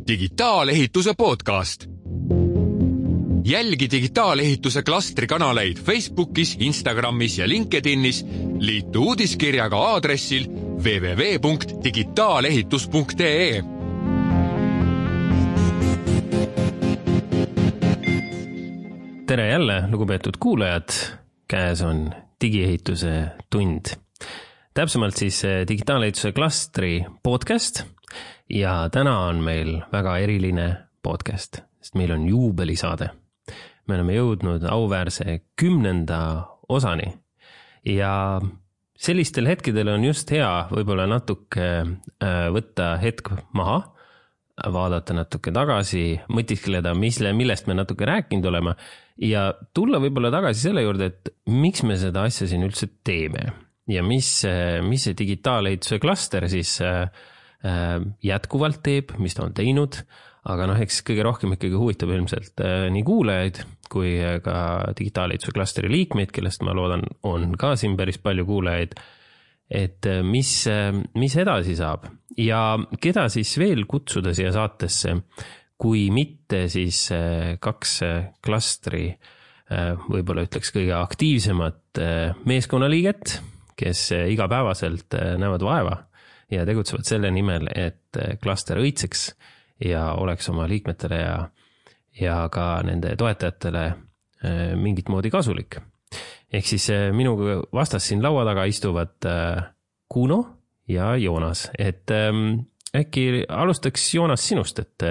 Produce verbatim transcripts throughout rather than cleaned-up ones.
Digitaalehituse podcast. Jälgi digitaalehituse klastri kanaleid Facebookis, Instagramis ja LinkedInis. Liitu uudiskirjaga aadressil w w w punkt digitaalehitus punkt e e. Tere jälle, lugupeetud kuulajad. Käes on digiehituse tund. Täpsemalt siis digitaalehituse klastri podcast. Ja täna on meil väga eriline podcast, sest meil on juubelisaade. Me oleme jõudnud auväärse kümnenda osani ja sellistel hetkedel on just hea võib-olla natuke võtta hetk maha, vaadata natuke tagasi, mõtiskleda, millest me natuke rääkinud oleme ja tulla võib-olla tagasi selle juurde, et miks me seda asja siin üldse teeme ja mis, mis see digitaalehituse klaster siis jätkuvalt teeb, mis ta on teinud, aga noh, eks kõige rohkem ikkagi huvitab ilmselt nii kuulajaid kui ka digitaalehituse klastri liikmeid, kellest ma loodan on ka siin päris palju kuulajaid, et mis, mis edasi saab ja keda siis veel kutsuda siia saatesse, kui mitte siis kaks klastri, võib-olla ütleks kõige aktiivsemat meeskonnaliiget, kes igapäevaselt näevad vaeva ja tegutsevad selle nimel, et klaster õitseks ja oleks oma liikmetele ja, ja ka nende toetajatele mingit moodi kasulik. Ehk siis minuga vastas siin laua taga istuvad Kuno ja Joonas. Et äkki alustaks Joonas sinust, et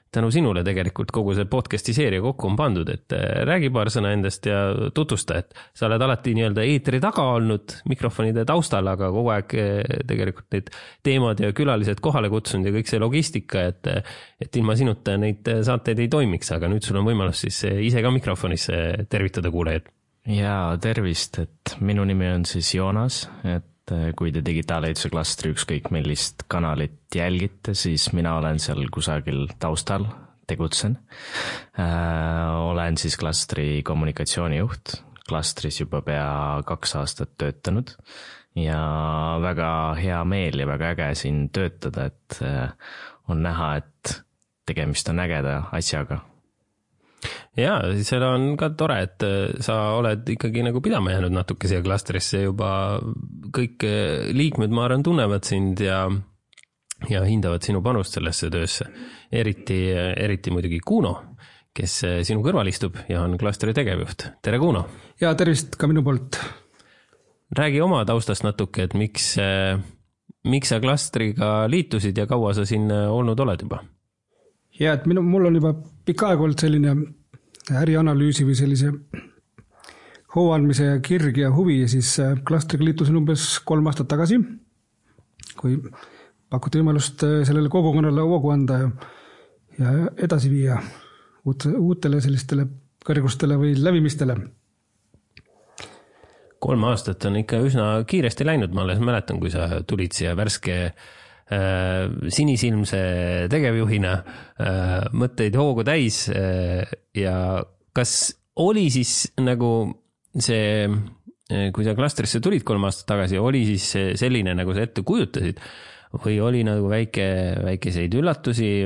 tänu sinule tegelikult kogu see podcasti seeria kokku on pandud, et räägi paar sõna endast ja tutvusta, et sa oled alati nii-öelda eetri taga olnud mikrofonide taustal, aga kogu aeg tegelikult need teemad ja külalised kohale kutsunud ja kõik see logistika, et, et ilma sinuta neid saateid ei toimiks, aga nüüd sul on võimalus siis ise ka mikrofonis tervitada kuulajad. Ja tervist, et minu nimi on siis Joonas, et kui te digitaalehituse klastri ükskõik millist kanalit jälgite, siis mina olen seal kusagil taustal, tegutsen. Äh, olen siis klastri kommunikatsioonijuht, klastris juba pea kaks aastat töötanud ja väga hea meel ja väga äge siin töötada, et on näha, et tegemist on ägeda asjaga. Ja, seal on ka tore, et sa oled ikkagi nagu pidama jäänud natuke siia klastrisse juba kõik liikmed, ma arvan, tunnevad sind ja, ja hindavad sinu panust sellesse töösse. Eriti, eriti muidugi Kuno, kes sinu kõrval istub ja on klastri tegevjuht. Tere, Kuno! Ja tervist ka minu poolt. Räägi oma taustast natuke, et miks, miks sa klastriga liitusid ja kaua sa siin olnud oled juba? Ja, et minu, mul on juba pikka aeg olnud selline ärianalüüsi või sellise hooandmise ja kirg ja huvi ja siis klastriga liitusin umbes kolm aastat tagasi, kui pakuti võimalust sellele kogukonnale hoogu anda ja, ja edasi viia uut, uutele sellistele kõrgustele või lävimistele. Kolm aastat on ikka üsna kiiresti läinud, ma alles mäletan, kui sa tulid siia värske sinisilmse tegevjuhina, mõtteid hoogu täis ja kas oli siis nagu see, kui sa klastrisse tulid kolm aastat tagasi, oli siis selline, nagu sa ette kujutasid või oli nagu väike, väikeseid üllatusi,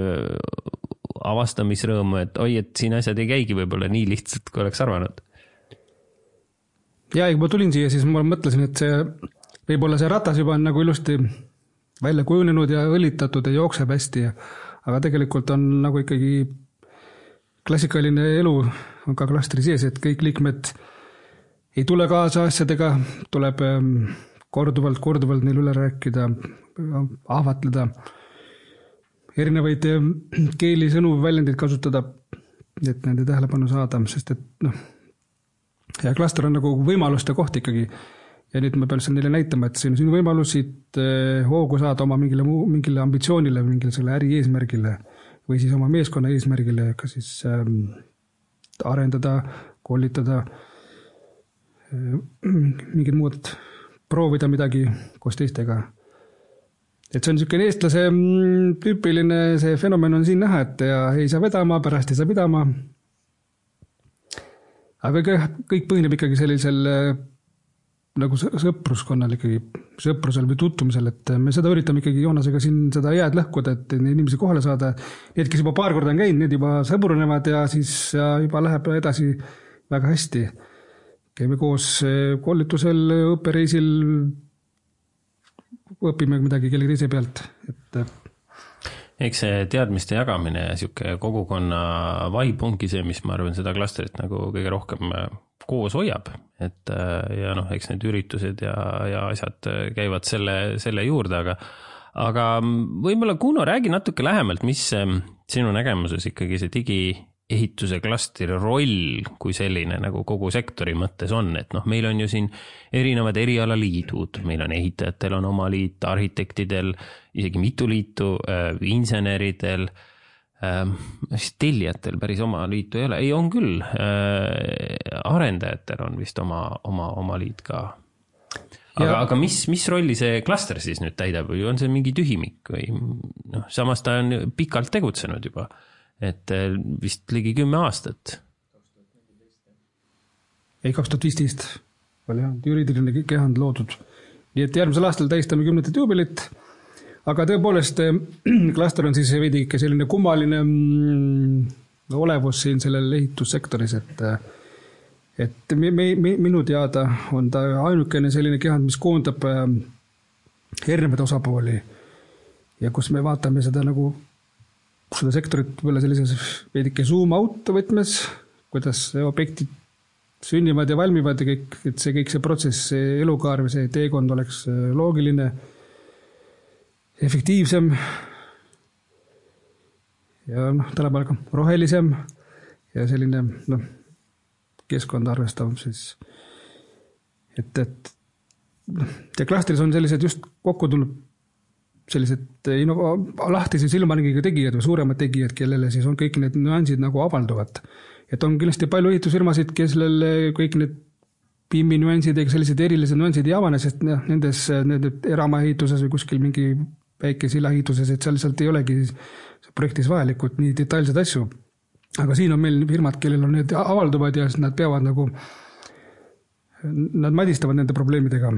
avastamisrõõmu, et oi, et siin asjad ei käigi võib-olla nii lihtsalt, kui oleks arvanud? Ja, kui ma tulin siia, siis ma mõtlesin, et see võib-olla see ratas juba on nagu ilusti välja kujunenud ja õlitatud ja jookseb hästi, aga tegelikult on nagu ikkagi klassikaline elu on ka klastri sees, et kõik liikmed ei tule kaasa asjadega, tuleb korduvalt, korduvalt neil üle rääkida, ahvatleda, erinevaid keeli, sõnu, väljendid kasutada, et nende tähelepanu saada, sest et noh, ja klaster on nagu võimaluste koht ikkagi. Ja nüüd ma pean neile näitama, et see on sinu võimalusid hoogu saada oma mingile, mingile ambitsioonile, mingile selle äri eesmärgile või siis oma meeskonna eesmärgile, ka siis ähm, arendada, koolitada, äh, mingid muud, proovida midagi koos teistega. Et see on niisugune eestlase tüüpiline, see fenomen on siin näha, et ja ei saa vedama, pärast ei saa pidama. Aga kõik põhineb ikkagi sellisel nagu sõpruskonnal ikkagi, sõprusel või tuttumisel, et me seda üritame ikkagi Joonasega siin seda jääd lõhkuda, et inimesi kohale saada. Need, kes juba paar korda on käinud, need juba sõbrunevad ja siis juba läheb edasi väga hästi. Käime koos koolitusel, õppereisil, õpime midagi kellegi teise pealt, et eks see teadmiste jagamine ja siuke kogukonna vibe ongi see, mis ma arvan seda klastrit nagu kõige rohkem koos hoiab, et ja noh, eks need üritused ja, ja asjad käivad selle, selle juurde, aga, aga võib-olla Kuno, räägi natuke lähemalt, mis sinu nägemuses ikkagi see digiehituse klastri roll kui selline nagu kogu sektori mõttes on, et noh, meil on ju siin erinevad erialaliidud, meil on ehitajatel on oma liit, arhitektidel, isegi mitu liitu, inseneridel, siis tellijatel päris oma liitu ei ole, ei on küll, arendajatel on vist oma, oma, oma liit ka. Aga, aga mis, mis rolli see klaster siis nüüd täidab või on see mingi tühimik või noh, samas ta on pikalt tegutsenud juba, et vist ligi kümme aastat. Ei, kaks tuhat viisteist oli jah, juriidiline kehand loodud. Nii et järgmisel aastal tähistame kümnetet juubelit. Aga tõepoolest, klaster on siis veidi ikka selline kummaline olevus siin sellel ehitussektoris, et, et me, me, minu teada on ta ainukene selline kehand, mis koondab erinevaid osapooli ja kus me vaatame seda nagu seda sektorit võib-olla sellises veidike zoom out võtmes, kuidas objektid sünnivad ja valmivad ja kõik, et see kõik see protsess, see elukaar või see teekond oleks loogiline, efektiivsem ja noh, tänapäeval ka rohelisem ja selline noh, keskkond arvestav siis, et, et ja klastris on sellised just kokku tulnud sellised no, lahtise silmaringiga tegijad või suuremad tegijad, kellele siis on kõik need nüansid nagu avalduvad. Et on kindlasti palju ehitusfirmasid, kellele kõik need P I M-i nüansid ja sellised erilised nüansid ei avane, sest noh, nendes nende eramaehituses või kuskil mingi väike silaehituses, et seal lihtsalt ei olegi projektis vajalikud nii detailsed asju. Aga siin on meil firmad, kellel on need avalduvad ja nad peavad nagu, nad madistavad nende probleemidega.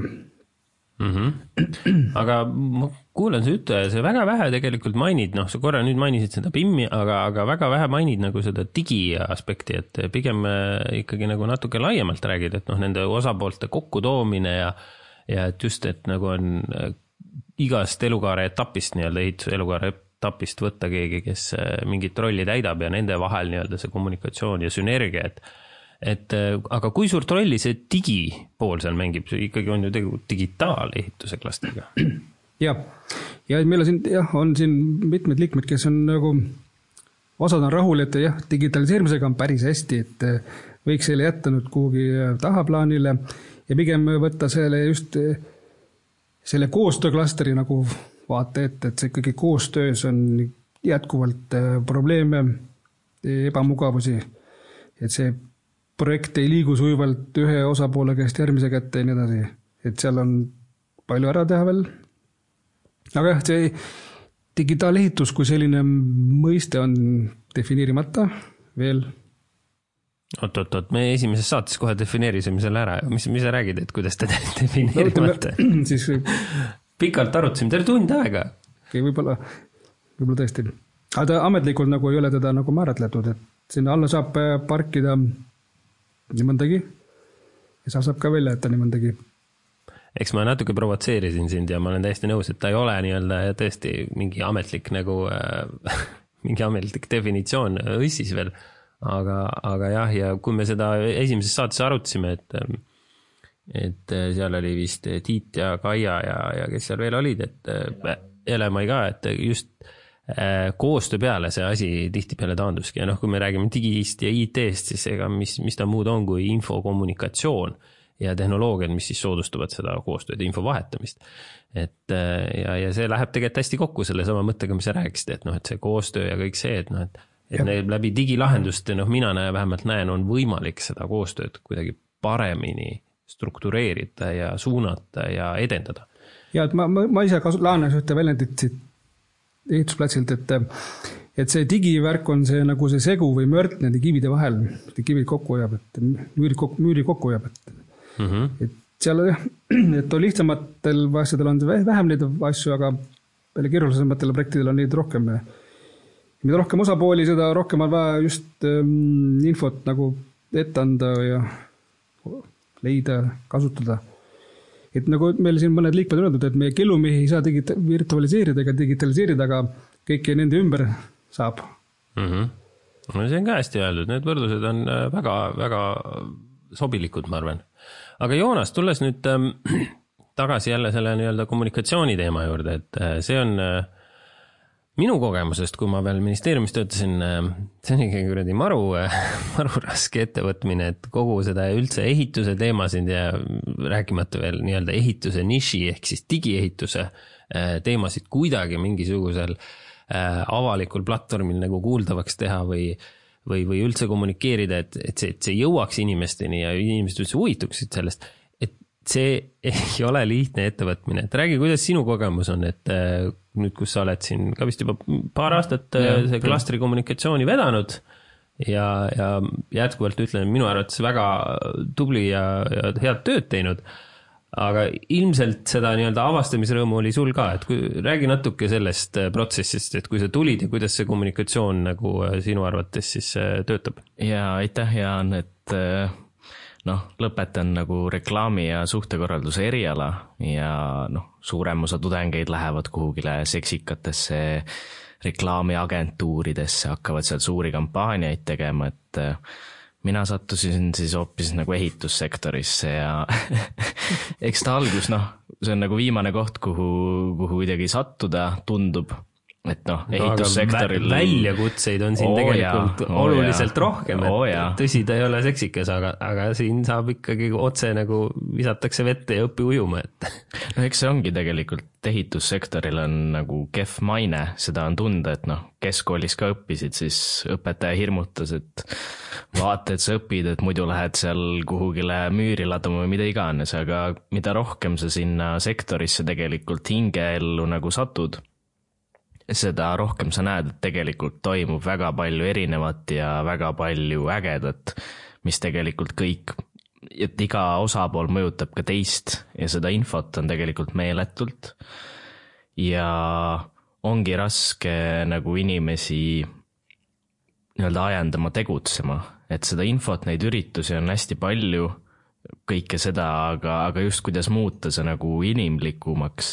Mm-hmm. Aga ma kuulen see ütle, see väga vähe tegelikult mainid, noh, sa korra nüüd mainisid seda P I M-i, aga, aga väga vähe mainid nagu seda digi aspekti, et pigem ikkagi nagu natuke laiemalt räägid, et noh, nende osapoolte kokkutoomine ja, ja et just, et nagu on igast elukaare etapist, nii-öelda ehituse elukaare etapist võtta keegi, kes mingit rolli täidab ja nende vahel nii-öelda see kommunikatsioon ja sünergia, et et aga kui suurt rolli see digipool seal mängib, see ikkagi on ju tegelikult digitaalehituse klastriga. Ja, ja meil on siin, jah, on siin mitmed liikmed, kes on nagu, osad on rahul, et jah, digitaliseerimisega on päris hästi, et võiks selle jätta nüüd kuhugi tahaplaanile ja pigem võtta selle just selle koostööklasteri nagu vaate ette, et see ikkagi koostöös on jätkuvalt probleeme, ebamugavusi, et see projekt ei liigu sujuvalt ühe osapoole käest järgmise kätte ja nii edasi, et seal on palju ära teha veel. Aga jah, see digitaalehitus kui selline mõiste on defineerimata veel. Oot, oot, oot, me esimeses saates kohe defineerisime selle ära. Mis, mis sa räägid, et kuidas te defineerimata? No, siis, pikalt arutasime, teile tund aega. Okay, võib-olla, võib-olla tõesti. Aga ta ametlikult nagu ei ole teda nagu määratletud, et sinna alla saab parkida nii mõndagi ja sa saab ka välja jätta nii mõndagi. Eks ma natuke provotseerisin sind ja ma olen täiesti nõus, et ta ei ole nii-öelda tõesti mingi ametlik nagu äh, mingi ametlik definitsioon õssis veel. Aga, aga jah, ja kui me seda esimeses saates arutasime, et, et seal oli vist Tiit ja Kaia ja, ja kes seal veel olid, et Elemai ka, et just koostöö peale see asi tihti peale taanduski. Ja noh, kui me räägime digist ja I T-st, siis ega mis, mis ta muud on kui infokommunikatsioon ja tehnoloogiad, mis siis soodustavad seda koostööd ja info vahetamist. Et, ja, ja see läheb tegelikult hästi kokku selle sama mõttega, mis sa rääkisid, et noh, et see koostöö ja kõik see, et noh, et et neil läbi digilahendust, noh, mina näe, vähemalt näen, on võimalik seda koostööd kuidagi paremini struktureerida ja suunata ja edendada. Ja, et ma, ma, ma ise kasu, laanes ühte väljendit siit ehitusplatsilt, et, et see digivärk on see nagu see segu või mört nende kivide vahel, kivid kokku hoiab, et müüri kokku, müüri kokku hoiab, et, mm-hmm. et seal, et on lihtsamatel asjadel on vähem neid asju, aga peale keerulisematel projektidel on neid rohkem. Mida rohkem osapooli, seda rohkem on vaja just infot nagu ette anda ja leida, kasutada. Et nagu meil siin mõned liikmed on öeldud, et meie kellumehi ei saa digita- virtualiseerida ega digitaliseerida, aga kõike nende ümber saab. Mm-hmm. No see on ka hästi öeldud, need võrdlused on väga, väga sobilikud, ma arvan. Aga Joonas, tulles nüüd ähm, tagasi jälle selle nii-öelda kommunikatsiooni teema juurde, et äh, see on äh, minu kogemusest, kui ma veel ministeeriumis töötasin, äh, see on ikkagi kuradi maru, äh, maru raske ettevõtmine, et kogu seda üldse ehituse teemasid ja rääkimata veel nii-öelda ehituse niši ehk siis digiehituse äh, teemasid kuidagi mingisugusel avalikul platvormil nagu kuuldavaks teha või, või, või üldse kommunikeerida, et, et, see, et see jõuaks inimesteni ja inimesed üldse huvituksid sellest, et see ei ole lihtne ettevõtmine. Et räägi, kuidas sinu kogemus on, et nüüd, kus sa oled siin ka vist juba paar aastat ja, see klastri kommunikatsiooni vedanud ja, ja jätkuvalt ütlen, minu arvates väga tubli ja, ja head tööd teinud. Aga ilmselt seda nii-öelda avastamisrõõmu oli sul ka, et kui, räägi natuke sellest protsessist, et kui sa tulid ja kuidas see kommunikatsioon nagu sinu arvates siis töötab? Ja aitäh, Jaan, et noh, lõpetan nagu reklaami ja suhtekorralduse eriala ja noh, suurem osa tudengeid lähevad kuhugile seksikatesse reklaamiagentuuridesse, hakkavad seal suuri kampaaniaid tegema, et mina sattusin siis hoopis nagu ehitussektorisse ja eks ta algus, noh, see on nagu viimane koht, kuhu, kuhu kuidagi sattuda tundub, et noh, ehitussektoril... No, väljakutseid on siin oo, tegelikult jaa, oluliselt oo, rohkem, et oo, tõsi, ta ei ole seksikas, aga, aga siin saab ikkagi otse nagu visatakse vette ja õpi ujuma, et... No eks see ongi tegelikult, ehitussektoril on nagu kehv maine, seda on tunda, et noh, keskkoolis ka õppisid, siis õpetaja hirmutas, et vaata, et sa õpid, et muidu lähed seal kuhugile müüri laduma või mida iganes, aga mida rohkem sa sinna sektorisse tegelikult hingeellu nagu satud, seda rohkem sa näed, et tegelikult toimub väga palju erinevat ja väga palju ägedat, mis tegelikult kõik, et iga osapool mõjutab ka teist ja seda infot on tegelikult meeletult ja ongi raske nagu inimesi nii-öelda ajendama tegutsema, et seda infot, neid üritusi on hästi palju, kõike seda, aga, aga just kuidas muuta see nagu inimlikumaks,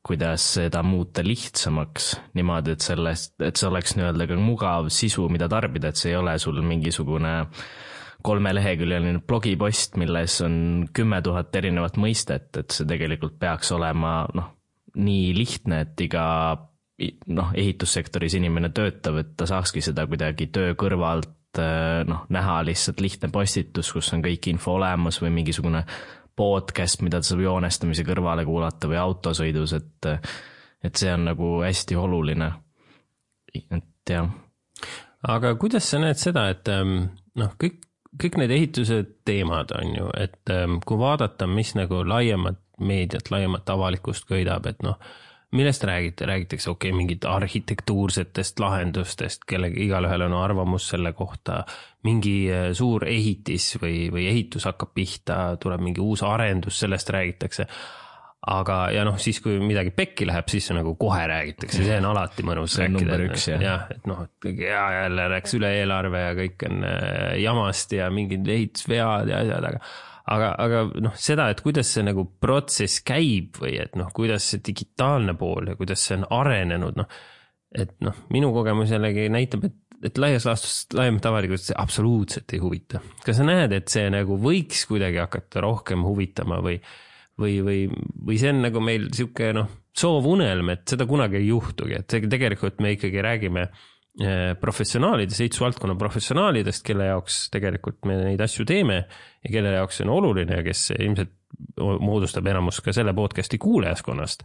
kuidas seda muuta lihtsamaks niimoodi, et sellest, et see oleks nii-öelda ka mugav sisu, mida tarbida, et see ei ole sul mingisugune kolmeleheküljeline blogipost, milles on kümme tuhat erinevat mõistet, et see tegelikult peaks olema noh, nii lihtne, et iga noh, ehitussektoris inimene töötab, et ta saakski seda kuidagi töö kõrvalt noh, näha lihtsalt lihtne postitus, kus on kõik info olemas või mingisugune podcast, mida ta saab joonestamise kõrvale kuulata või autosõidus, et, et see on nagu hästi oluline. Et jah. Aga kuidas sa näed seda, et noh, kõik, kõik need ehituse teemad on ju, et kui vaadata, mis nagu laiemat meediat, laiemat avalikust köidab, et noh, millest räägite? Räägitakse okei, okay, mingid arhitektuursetest lahendustest, kellega igalühel on arvamus selle kohta, mingi suur ehitis või, või ehitus hakkab pihta, tuleb mingi uus arendus, sellest räägitakse. Aga ja noh, siis kui midagi pekki läheb, siis see nagu kohe räägitakse, see on alati mõnus see rääkida. Number üks, jah. Ja, et noh, ja jälle rääks üle eelarve ja kõik on jamast ja mingid ehitusvead ja asjad, aga Aga, aga noh, seda, et kuidas see nagu protsess käib või et noh, kuidas see digitaalne pool ja kuidas see on arenenud, noh, et noh, minu kogemus jällegi näitab, et, et laias laastus laiemat avalikult see absoluutselt ei huvita. Kas sa näed, et see nagu võiks kuidagi hakata rohkem huvitama või, või, või, või see on nagu meil siuke noh, soovunelm, et seda kunagi ei juhtugi, et tegelikult me ikkagi räägime professionaalidest, ehitusvaldkonna professionaalidest, kelle jaoks tegelikult me neid asju teeme ja kelle jaoks on oluline ja kes ilmselt moodustab enamus ka selle podcasti kuulajaskonnast.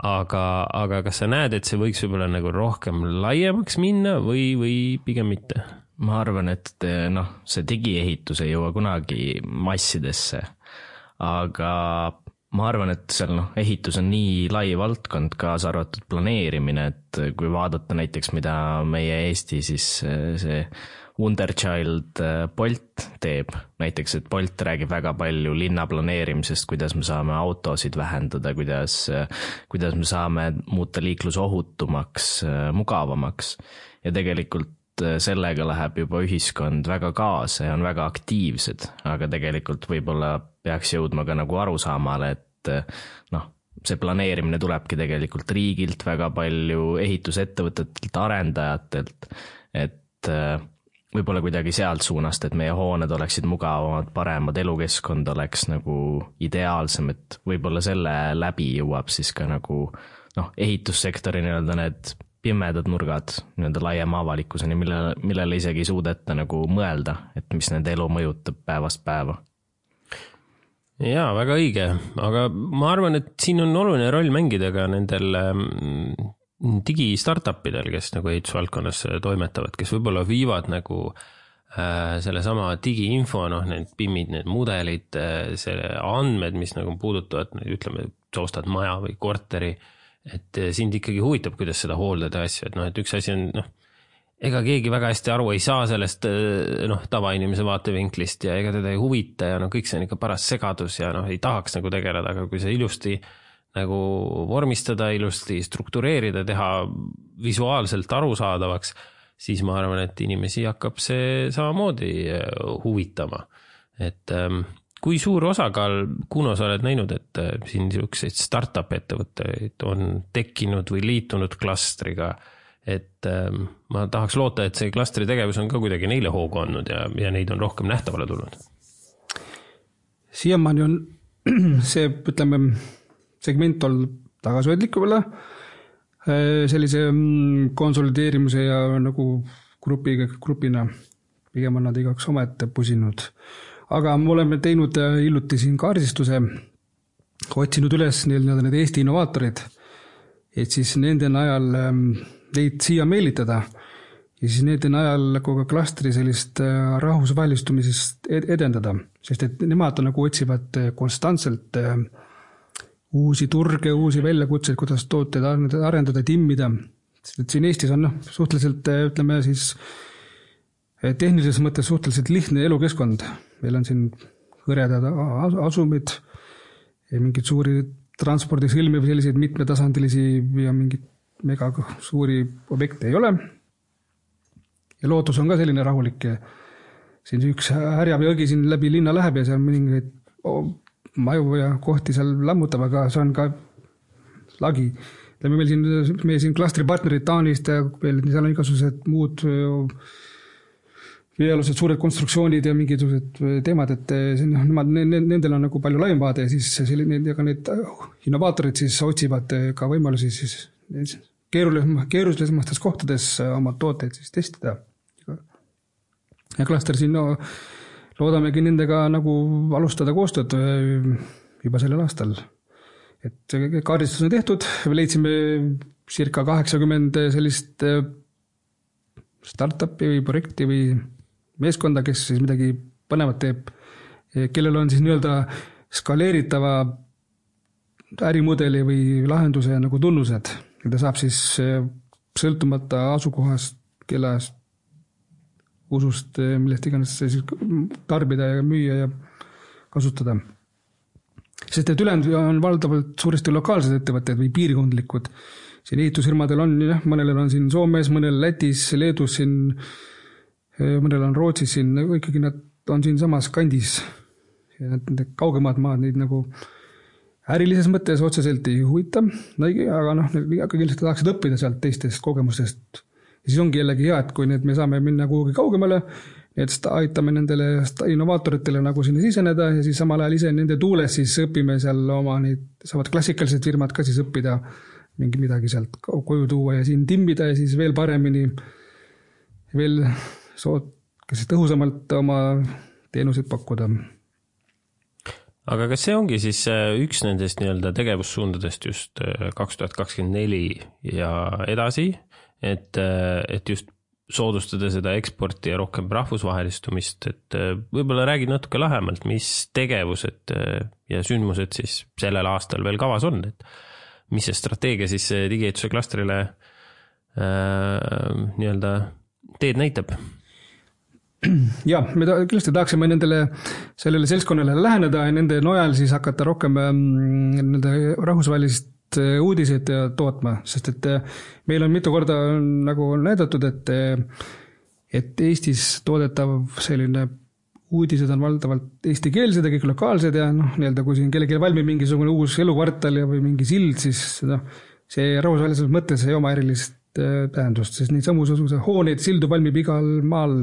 Aga, aga kas sa näed, et see võiks võib-olla nagu rohkem laiemaks minna või, või pigem mitte? Ma arvan, et noh, see digiehitus ei jõua kunagi massidesse, aga ma arvan, et seal noh, ehitus on nii lai valdkond, kaasa arvatud planeerimine, et kui vaadata näiteks, mida meie Eesti siis see Wonderchild Bolt teeb, näiteks, et Bolt räägib väga palju linna planeerimisest, kuidas me saame autosid vähendada, kuidas, kuidas me saame muuta liiklus ohutumaks, mugavamaks ja tegelikult sellega läheb juba ühiskond väga kaasa ja on väga aktiivsed, aga tegelikult võib-olla peaks jõudma ka nagu arusaamale, et noh, see planeerimine tulebki tegelikult riigilt väga palju, ehitusettevõtetelt, arendajatelt, et võib-olla kuidagi sealt suunast, et meie hooned oleksid mugavamad, paremad, elukeskkond oleks nagu ideaalsem, et võib-olla selle läbi jõuab siis ka nagu noh, ehitussektori nii-öelda need pimedad nurgad nii-öelda laiema avalikkuseni, mille, millele isegi ei suudeta nagu mõelda, et mis nende elu mõjutab päevast päeva. Jaa, väga õige, aga ma arvan, et siin on oluline roll mängida ka nendel digi-startupidel, kes nagu ehitusvaldkonnas toimetavad, kes võib-olla viivad nagu selle sama digi-info, noh, need pimmid, need mudelid, selle andmed, mis nagu puudutavad, ütleme, sa ostad maja või korteri, et sind ikkagi huvitab, kuidas seda hooldada asju, et noh, et üks asi on, noh, ega keegi väga hästi aru ei saa sellest, noh, tavainimese vaatevinklist ja ega teda ei huvita ja noh, kõik see on ikka paras segadus ja noh, ei tahaks nagu tegeleda, aga kui see ilusti nagu vormistada, ilusti struktureerida, teha visuaalselt arusaadavaks, siis ma arvan, et inimesi hakkab see samamoodi huvitama, et kui suur osakaal, Kuno, sa oled näinud, et siin selliseid startup ettevõtteid on tekkinud või liitunud klastriga, et ma tahaks loota, et see klastri tegevus on ka kuidagi neile hoogu andnud ja, ja neid on rohkem nähtavale tulnud. Siiamaani on see, ütleme, segment on tagasihoidlik võib-olla sellise konsolideerimise ja nagu grupi, grupina pigem on nad igaks omette pusinud. Aga me oleme teinud hiljuti siin kaardistuse, otsinud üles need Eesti innovaatorid, et siis nende najal neid siia meelitada ja siis nende najal ka klastri sellist rahvusvahelistumisest edendada, sest et nemad nagu otsivad konstantselt uusi turge, uusi väljakutseid, kuidas tooteid arendada, timmida. Sest et siin Eestis on no, suhteliselt, ütleme siis, tehnilises mõttes suhteliselt lihtne elukeskkond. Meil on siin hõredad asumid, mingid suuri transpordisõlmi või selliseid mitmetasandilisi ja mingid mega suuri objekte ei ole. Ja lootus on ka selline rahulik. Siin üks härjab jõgi siin läbi linna läheb ja seal mõningaid maju ja kohti seal lammutab, aga see on ka lagi. Meil siin, meie siin klastripartnerid Taanist ja seal on igasugused muud veealused suured konstruktsioonid ja mingisugused teemad, et nemad, nendel on nagu palju laiem vaade ja siis selline, ja ka need innovaatorid siis otsivad ka võimalusi siis keerulisemates kohtades oma tooteid siis testida. Ja klaster siin no, loodamegi nendega nagu alustada koostööd juba sellel aastal. Et kaardistus on tehtud, leidsime circa kaheksakümmend sellist startupi või projekti või meeskonda, kes siis midagi põnevat teeb, kellel on siis nii-öelda skaleeritava ärimudeli või lahenduse nagu tunnused. Ta saab siis sõltumata asukohast, kellast, usust, millest iganes siis tarbida ja müüa ja kasutada. Sest et ülejäänud on valdavalt suuresti lokaalsed ettevõtted või piirkondlikud. Siin ehitusfirmadel on, jah, mõnel on siin Soomes, mõnel Lätis, Leedus, siin, mõnel on Rootsis, siin, ikkagi nad on siin samas kandis. Ja need kaugemad maad neid nagu ärilises mõttes otseselt ei huvita, aga noh, aga kindlasti tahaksid õppida sealt teistest kogemustest. Ja siis ongi jällegi hea, et kui need me saame minna kuhugi kaugemale, et aitame nendele innovaatoritele nagu sinna siseneda ja siis samal ajal ise nende tuules siis õpime seal oma neid, saavad klassikalised firmad ka siis õppida mingi midagi sealt koju tuua ja siin timmida ja siis veel paremini veel soot, kas siis tõhusamalt oma teenuseid pakkuda. Aga kas see ongi siis üks nendest nii-öelda tegevussuundadest just kaks tuhat kakskümmend neli ja edasi, et, et just soodustada seda eksporti ja rohkem rahvusvahelistumist, et võib-olla räägid natuke lähemalt, mis tegevused ja sündmused siis sellel aastal veel kavas on, et mis see strateegia siis digiehituse klastrile äh, nii-öelda teed näitab? Ja, me ta, kindlasti tahaksime nendele, sellele seltskonnale läheneda ja nende nojal siis hakata rohkem nende rahvusvahelist uudised tootma, sest et meil on mitu korda nagu näidatud, et, et Eestis toodetav selline uudised on valdavalt eestikeelsed ja kõik lokaalsed ja noh, nii-öelda kui siin kellelgi valmib mingisugune uus elukvartal ja või mingi sild, siis noh, see rahvusvahelises mõttes ei oma erilist tähendust, sest nii samusuguse hooneid, sildu valmib igal maal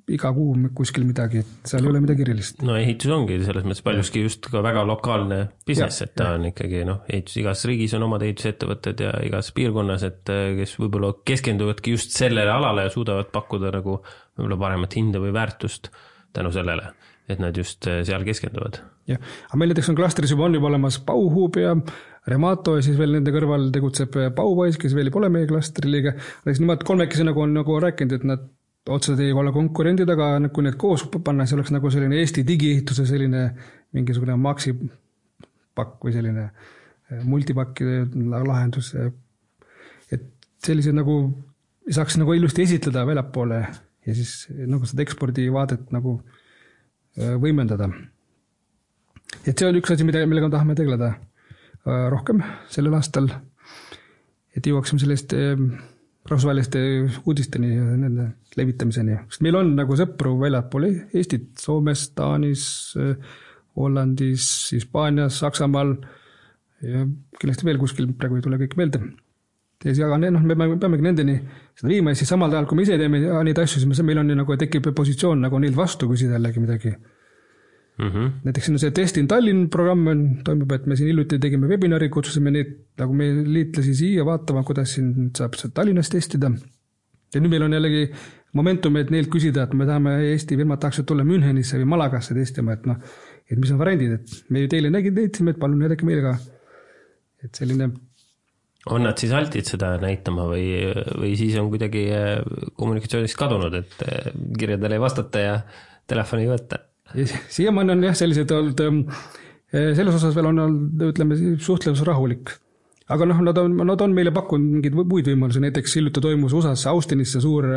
iga kuu kuskil midagi, et seal ei ole midagi erilist. No ehitus ongi selles mõttes paljuski just ka väga lokaalne business, et ta on ikkagi noh, ehitus, igas riigis on omad ehitusettevõtted ja igas piirkonnas, et kes võib-olla keskenduvadki just sellele alale ja suudavad pakkuda nagu võib-olla paremat hinda või väärtust tänu sellele, et nad just seal keskenduvad. Ja, aga meil näiteks on klastris juba on juba olemas Bauhub ja Remato ja siis veel nende kõrval tegutseb Baupoiss, kes veel ei pole meie klastri liige. Nemad kolmekesi nagu on nagu rääkinud, et nad otseselt ei ole konkurendid, aga kui need koos panna, see oleks nagu selline Eesti digiehituse selline mingisugune maksi pakk või selline multipakkide lahendus. Et sellised nagu saaks nagu ilusti esitleda väljapoole ja siis nagu seda ekspordivaadet nagu võimendada. Et see on üks asi, millega tahame tegeleda rohkem sellel aastal, et jõuaksime sellest rahvusvaheliste uudisteni ja nende levitamiseni. Sest meil on nagu sõpru väljapool Eestit, Soomes, Taanis, Hollandis, Hispaanias, Saksamaal ja kindlasti veel kuskil praegu ei tule kõik meelde. Aga noh, me peamegi nendeni seda viima ja siis samal ajal, kui me ise teeme neid asju, siis meil on nagu tekib positsioon nagu neil vastu, kui seda jällegi midagi. Mm-hmm. Näiteks see Testin Tallinn programm on, toimub, et me siin hiljuti tegime webinari, kutsusime neid nagu me liitlasi siia vaatama, kuidas siin saab Tallinnas testida. Ja nüüd meil on jällegi momentum, et neilt küsida, et me tahame Eesti firmad tahaksid tulla Münchenisse või Malagasse testima, et, no, et mis on variandid, et me ju teile nägid neitsime, et palun näidake meile ka. Et selline... On nad siis altid seda näitama või, või siis on kuidagi kommunikatsioonist kadunud, et kirjadele ei vastata ja telefoni ei võtta? Siiamaani on jah sellised olnud, selles osas veel on olnud, ütleme, suhtlevus rahulik. Aga noh, nad on, nad on meile pakkunud mingid muid võimalusi, näiteks hiljuti toimus U S A-s Austinisse suur,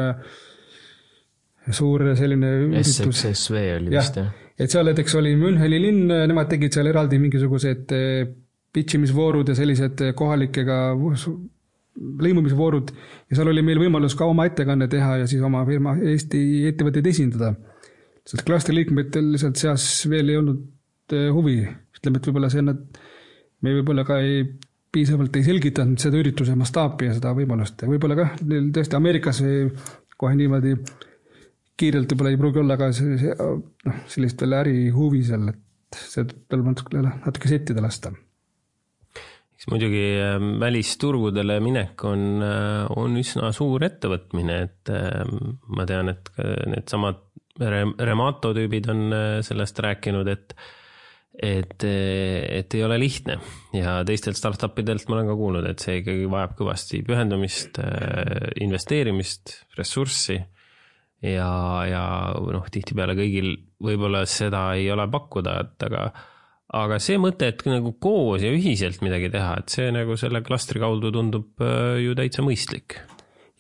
suur selline S X S V oli vist, jah. Et seal näiteks oli Müncheni linn, nemad tegid seal eraldi mingisugused pitchimisvoorud ja sellised kohalikega lõimumisvoorud ja seal oli meil võimalus ka oma ettekanne teha ja siis oma firma Eesti ettevõtteid esindada. Sest klastri liikmetel lihtsalt seas veel ei olnud huvi. Ütleme, et võib-olla see nad, me võib-olla ka ei, piisavalt ei selgitanud seda ürituse mastaapi ja seda võimalust. Võib-olla ka tõesti Ameerikas kohe niimoodi kiirelt võib-olla ei pruugi olla ka see, see, no, sellist veel äri huvi seal, et see tuleb natuke, natuke settida lasta. Eks muidugi välisturgudele minek on, on üsna suur ettevõtmine, et ma tean, et need samad Remato tüübid on sellest rääkinud, et, et, et ei ole lihtne ja teistelt startupidelt ma olen ka kuulnud, et see ikkagi vajab kõvasti pühendumist, investeerimist, ressurssi ja, ja noh, tihtipeale kõigil võib-olla seda ei ole pakkuda, et aga, aga see mõte, et nagu koos ja ühiselt midagi teha, et see nagu selle klastri kaudu tundub ju täitsa mõistlik.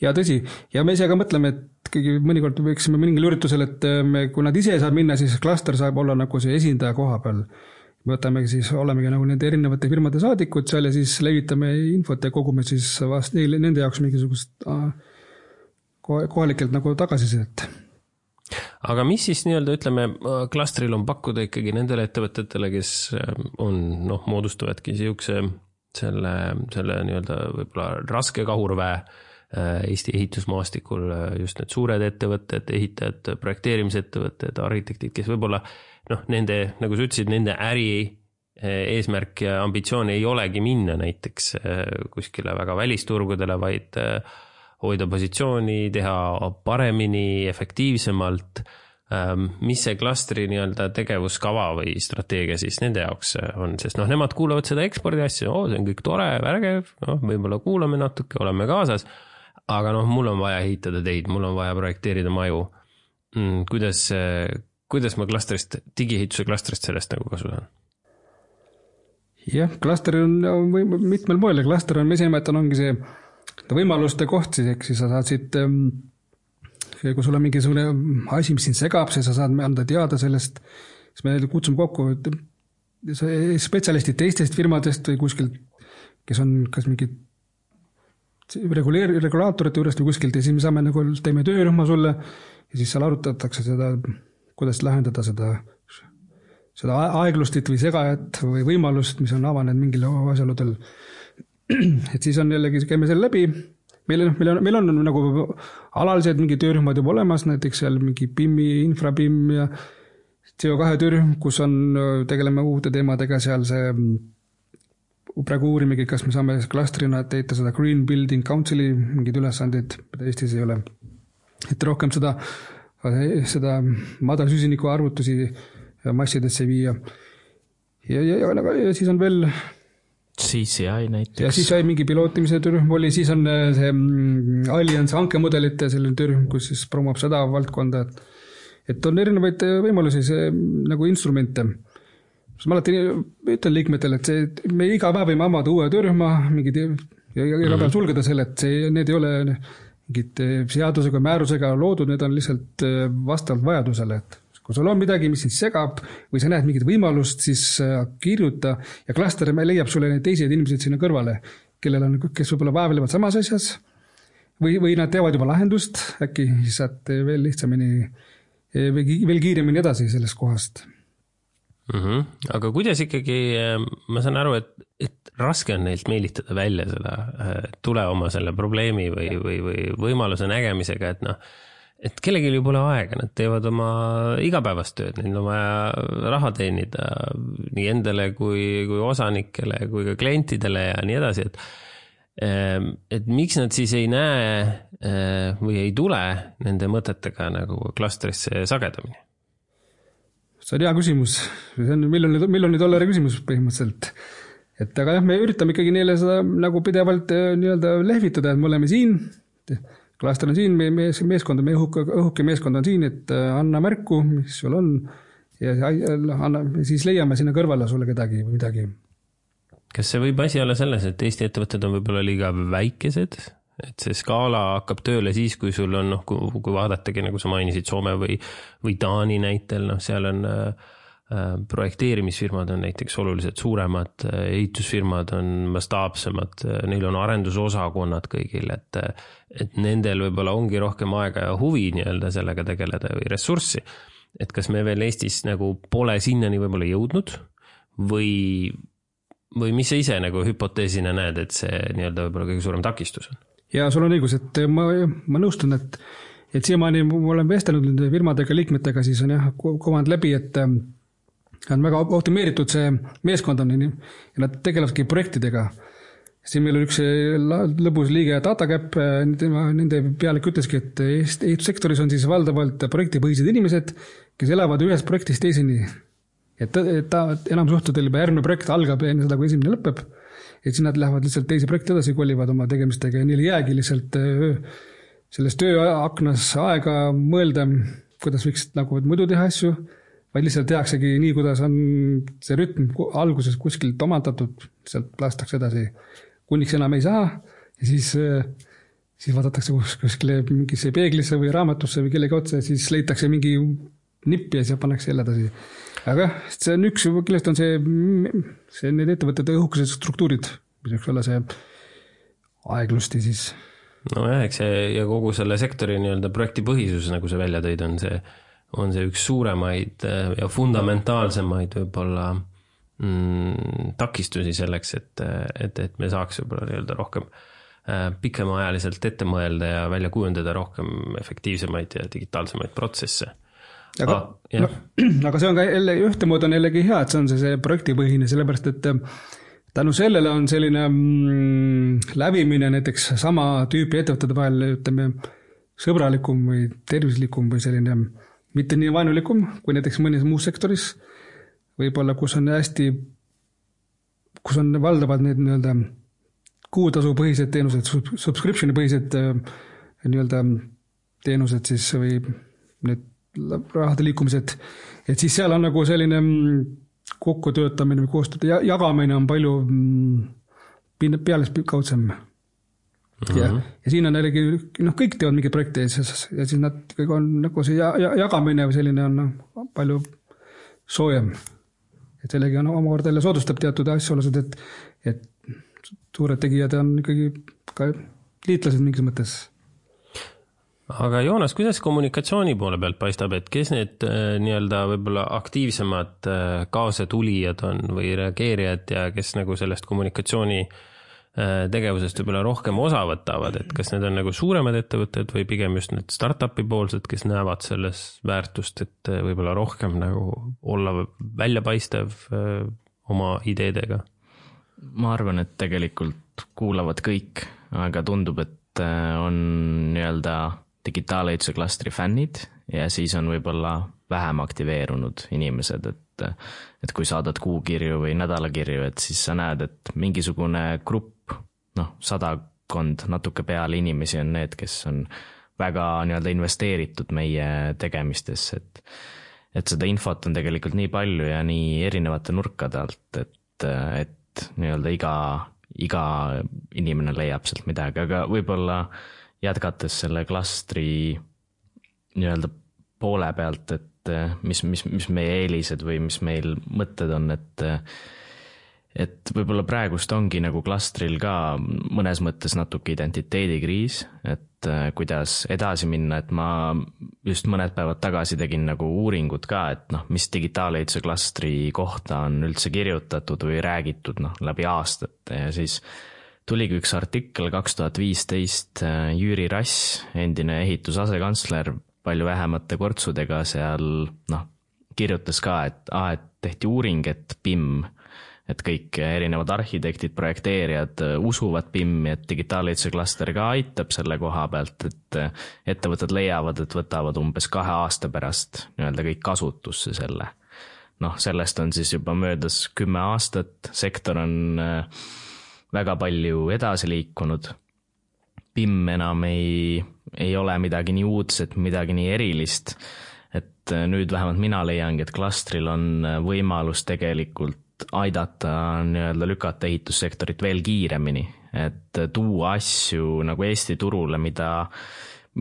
Ja tõsi, ja me ise ka mõtleme, et kõigi mõnikord võiksime mingil üritusel, et me, kui nad ise saab minna, siis klaster saab olla nagu see esindaja koha peal. Me võtamegi siis, olemegi nagu nende erinevate firmade saadikud seal ja siis levitame infot ja kogume siis vast neile, nende jaoks mingisugust kohalikelt nagu tagasisidet. Aga mis siis nii-öelda, ütleme, klastril on pakkuda ikkagi nendele ettevõtetele, kes on, noh, moodustavadki siukse selle, selle nii-öelda võib-olla raske kahurväe Eesti ehitusmaastikul, just need suured ettevõtted, ehitajad, projekteerimisettevõtted, arhitektid, kes võib-olla, noh, nende, nagu sa ütlesid, nende äri eesmärk ja ambitsioon ei olegi minna näiteks kuskile väga välisturgudele, vaid hoida positsiooni, teha paremini, efektiivsemalt. Mis see klastri nii-öelda tegevuskava või strateegia siis nende jaoks on, sest noh, nemad kuulavad seda ekspordi asja, oo, see on kõik tore, vägev, noh, võib-olla kuulame natuke, oleme kaasas, aga noh, mul on vaja ehitada teid, mul on vaja projekteerida maju. Kuidas, kuidas ma klastrist, digiehituse klastrist sellest nagu kasu saan? Jah, klaster on mitmel moel ja klaster on, me esimene ongi see võimaluste koht, siis, eks siis sa saad siit, kui sul on mingisugune asi, mis sind segab, siis sa saad anda teada sellest, siis me kutsume kokku spetsialistid teistest firmadest või kuskilt, kes on kas mingid reguleer-, regulaatorite juurest või kuskilt ja siis me saame nagu, teeme töörühma sulle ja siis seal arutatakse seda, kuidas lahendada seda, seda aeglustit või segajat või võimalust, mis on avanenud mingil asjaludel. Et siis on jällegi, käime selle läbi. Meil on, meil on, meil on nagu alalised mingi töörühmad juba olemas, näiteks seal mingi P I M-i, infra-P I M ja C O kahe töörühm, kus on, tegeleme uute teemadega seal see, praegu uurimegi, kas me saame klastrina teita seda Green Building Council'i mingid ülesandeid, mida Eestis ei ole. Et rohkem seda, seda madal süsiniku arvutusi massidesse viia. Ja, ja, ja, ja siis on veel C C I näiteks. Ja siis sai mingi pilootimise töörühm oli, siis on see Allianz hankemudelite selline töörühm, kus siis promoob seda valdkonda, et et on erinevaid võimalusi, see nagu instrumente. Ma alati ütlen liikmetele, et see, me iga päev võime avada uue töörühma, mingid, ja iga päev sulgeda selle, et see, need ei ole mingid seadusega, määrusega loodud, need on lihtsalt vastavalt vajadusele, et kui sul on midagi, mis sind segab või sa näed mingit võimalust, siis kirjuta ja klaster leiab sulle neid teised inimesed sinna kõrvale, kellel on, kes võib-olla vaevlevad samas asjas või, või nad teevad juba lahendust, äkki siis saad veel lihtsamini veel kiiremini edasi sellest kohast. Mm-hmm. Aga kuidas ikkagi, ma saan aru, et, et raske on neilt meelitada välja seda tule oma selle probleemi või, või, või võimaluse nägemisega, et noh, et kellelgi ju pole aega, nad teevad oma igapäevast tööd, neil on vaja raha teenida nii endale kui, kui osanikele, kui ka klientidele ja nii edasi, et et miks nad siis ei näe või ei tule nende mõtetega nagu klastrisse sagedamini? See on hea küsimus. See on miljoni, miljoni dollari küsimus põhimõtteliselt. Et aga jah, me üritame ikkagi neile seda nagu pidevalt nii-öelda lehvitada, et me oleme siin, klaster on siin, meie mees, meeskond, meie õhuke, õhuke meeskond on siin, et anna märku, mis sul on ja anna, siis leiame sinna kõrvale sulle kedagi või midagi. Kas see võib asi olla selles, et Eesti ettevõtted on võib-olla liiga väikesed, et see skaala hakkab tööle siis, kui sul on, noh, kui, kui vaadatagi, nagu sa mainisid, Soome või, või Taani näitel, noh, seal on äh, projekteerimisfirmad on näiteks oluliselt suuremad, ehitusfirmad on mastaapsemad, neil on arendusosakonnad kõigil, et, et nendel võib-olla ongi rohkem aega ja huvi nii-öelda sellega tegeleda või ressurssi. Et kas me veel Eestis nagu pole sinnani võib-olla jõudnud või või mis sa ise nagu hüpoteesina näed, et see nii-öelda võib-olla kõige suurem takistus on? Ja sul on õigus, et ma, ma nõustun, et, et siiamaani ma olen vestelnud nende firmadega, liikmetega, siis on jah, komand läbi, et on väga optimeeritud see meeskond on ja nad tegelevadki projektidega. Siin meil on üks lõbus liige DataCap, nende pealik ütleski, et ehitussektoris on siis valdavalt projektipõhised inimesed, kes elavad ühest projektist teiseni. Et ta, et ta enam suhtudel juba järgmine projekt algab enne seda, kui esimene lõpeb. Et siis nad lähevad lihtsalt teisi projekti edasi, kolivad oma tegemistega ja neil jäägi lihtsalt sellest tööaknas aega mõelda, kuidas võiks nagu muidu teha asju, vaid lihtsalt tehaksegi nii, kuidas on see rütm alguses kuskilt omandatud, sealt lastakse edasi, kuniks enam ei saa ja siis, siis vaadatakse kuskile mingisse peeglisse või raamatusse või kellegi otsa ja siis leitakse mingi nippi ja siis pannakse jälle edasi. Aga see on üks, kellest on see, see need ettevõtete õhukesed struktuurid, mis võiks olla see aeglusti siis. No jah, eks see ja kogu selle sektori nii-öelda projektipõhisus, nagu see välja tõid, on see, on see üks suuremaid ja fundamentaalsemaid võib-olla mm, takistusi selleks, et, et, et me saaks võib-olla nii-öelda rohkem pikemaajaliselt ette mõelda ja välja kujundada rohkem efektiivsemaid ja digitaalsemaid protsesse. Aga, ah, no, aga see on ka jälle, ühte mood on jällegi hea, et see on see, see projektipõhine, sellepärast et tänu sellele on selline mm, lävimine näiteks sama tüüpi ettevõtete vahel, ütleme, sõbralikum või tervislikum või selline mitte nii vaenulikum kui näiteks mõnes muus sektoris, võib-olla kus on hästi, kus on valdavad need nii-öelda kuutasupõhised teenused, subscriptioni põhised nii-öelda teenused siis või need rahade liikumised, et siis seal on nagu selline kokkutöötamine või koostööd ja jagamine on palju peales kaudsem. Mm-hmm. Ja, ja siin on jällegi, noh, kõik teevad mingi projekti ja siis, ja siis nad kõik on nagu see jagamine või selline on palju soojem. Et sellegi on omakorda jälle soodustab teatud asjaolused, et, et suured tegijad on ikkagi ka liitlased mingis mõttes. Aga Joonas, kuidas kommunikatsiooni poole pealt paistab, et kes need nii-öelda võib-olla aktiivsemad kaasetulijad on või reageerijad ja kes nagu sellest kommunikatsiooni tegevusest võib-olla rohkem osa võtavad, et kas need on nagu suuremad ettevõtted või pigem just need startupi poolsed, kes näevad selles väärtust, et võib-olla rohkem nagu olla väljapaistev oma ideedega? Ma arvan, et tegelikult kuulavad kõik, aga tundub, et on nii-öelda digitaalehituse klastri fännid ja siis on võib-olla vähem aktiveerunud inimesed, et, et kui saadad kuukirju või nädalakirju, et siis sa näed, et mingisugune grupp, noh, sadakond natuke peale inimesi on need, kes on väga nii-öelda investeeritud meie tegemistesse, et, et seda infot on tegelikult nii palju ja nii erinevate nurkade alt, et, et nii-öelda iga, iga inimene leiab sealt midagi, aga võib-olla jätkates selle klastri nii-öelda poole pealt, et mis, mis, mis meie eelised või mis meil mõtted on, et, et võib-olla praegust ongi nagu klastril ka mõnes mõttes natuke identiteedikriis, et kuidas edasi minna, et ma just mõned päevad tagasi tegin nagu uuringut ka, et noh, mis digitaalehituse klastri kohta on üldse kirjutatud või räägitud noh, läbi aastate ja siis tuligi üks artikkel kaks tuhat viisteist, Jüri Rass, endine ehitusasekantsler, palju vähemate kortsudega seal noh, kirjutas ka, et, ah, et tehti uuring, et P I M, et kõik erinevad arhitektid, projekteerijad usuvad P I M-i, et digitaalehituse klaster ka aitab selle koha pealt, et ettevõtted leiavad, et võtavad umbes kahe aasta pärast nii-öelda kõik kasutusse selle. Noh, sellest on siis juba möödas kümme aastat, sektor on väga palju edasi liikunud. P I M enam ei, ei ole midagi nii uudset, midagi nii erilist, et nüüd vähemalt mina leiangi, et klastril on võimalus tegelikult aidata nii-öelda lükata ehitussektorit veel kiiremini, et tuua asju nagu Eesti turule, mida,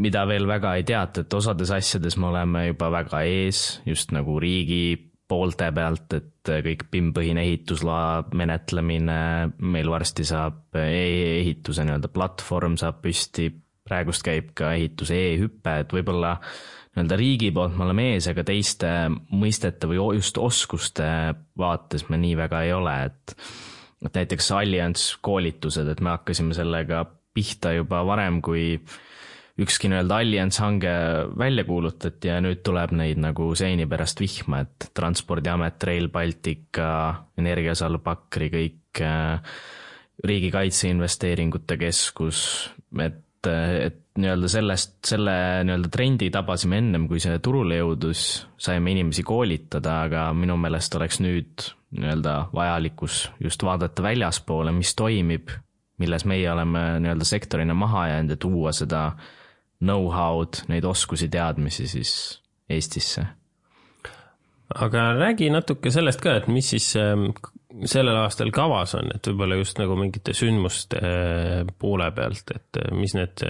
mida veel väga ei teata, et osades asjades me oleme juba väga ees, just nagu riigi poolte pealt, et kõik P I M-põhine ehitusloa menetlemine, meil varsti saab e-ehituse nii-öelda platvorm saab püsti, praegust käib ka ehituse e-hüppe, et võib-olla nii-öelda riigi poolt me oleme ees, aga teiste mõistete või just oskuste vaates me nii väga ei ole, et, et näiteks Allianz koolitused, et me hakkasime sellega pihta juba varem, kui ükski nii-öelda Allianz hange välja kuulutati ja nüüd tuleb neid nagu seini pärast vihma, et Transpordiamet, Rail Baltica, Energiasalv Pakri, kõik riigikaitse investeeringute keskus, et, et nii-öelda sellest, selle nii-öelda trendi tabasime ennem, kui see turule jõudus, saime inimesi koolitada, aga minu meelest oleks nüüd nii-öelda vajalikkus just vaadata väljaspoole, mis toimib, milles meie oleme nii-öelda sektorina maha jäänud ja tuua seda know-how'd, neid oskusi, teadmisi siis Eestisse. Aga räägi natuke sellest ka, et mis siis sellel aastal kavas on, et võib-olla just nagu mingite sündmuste poole pealt, et mis need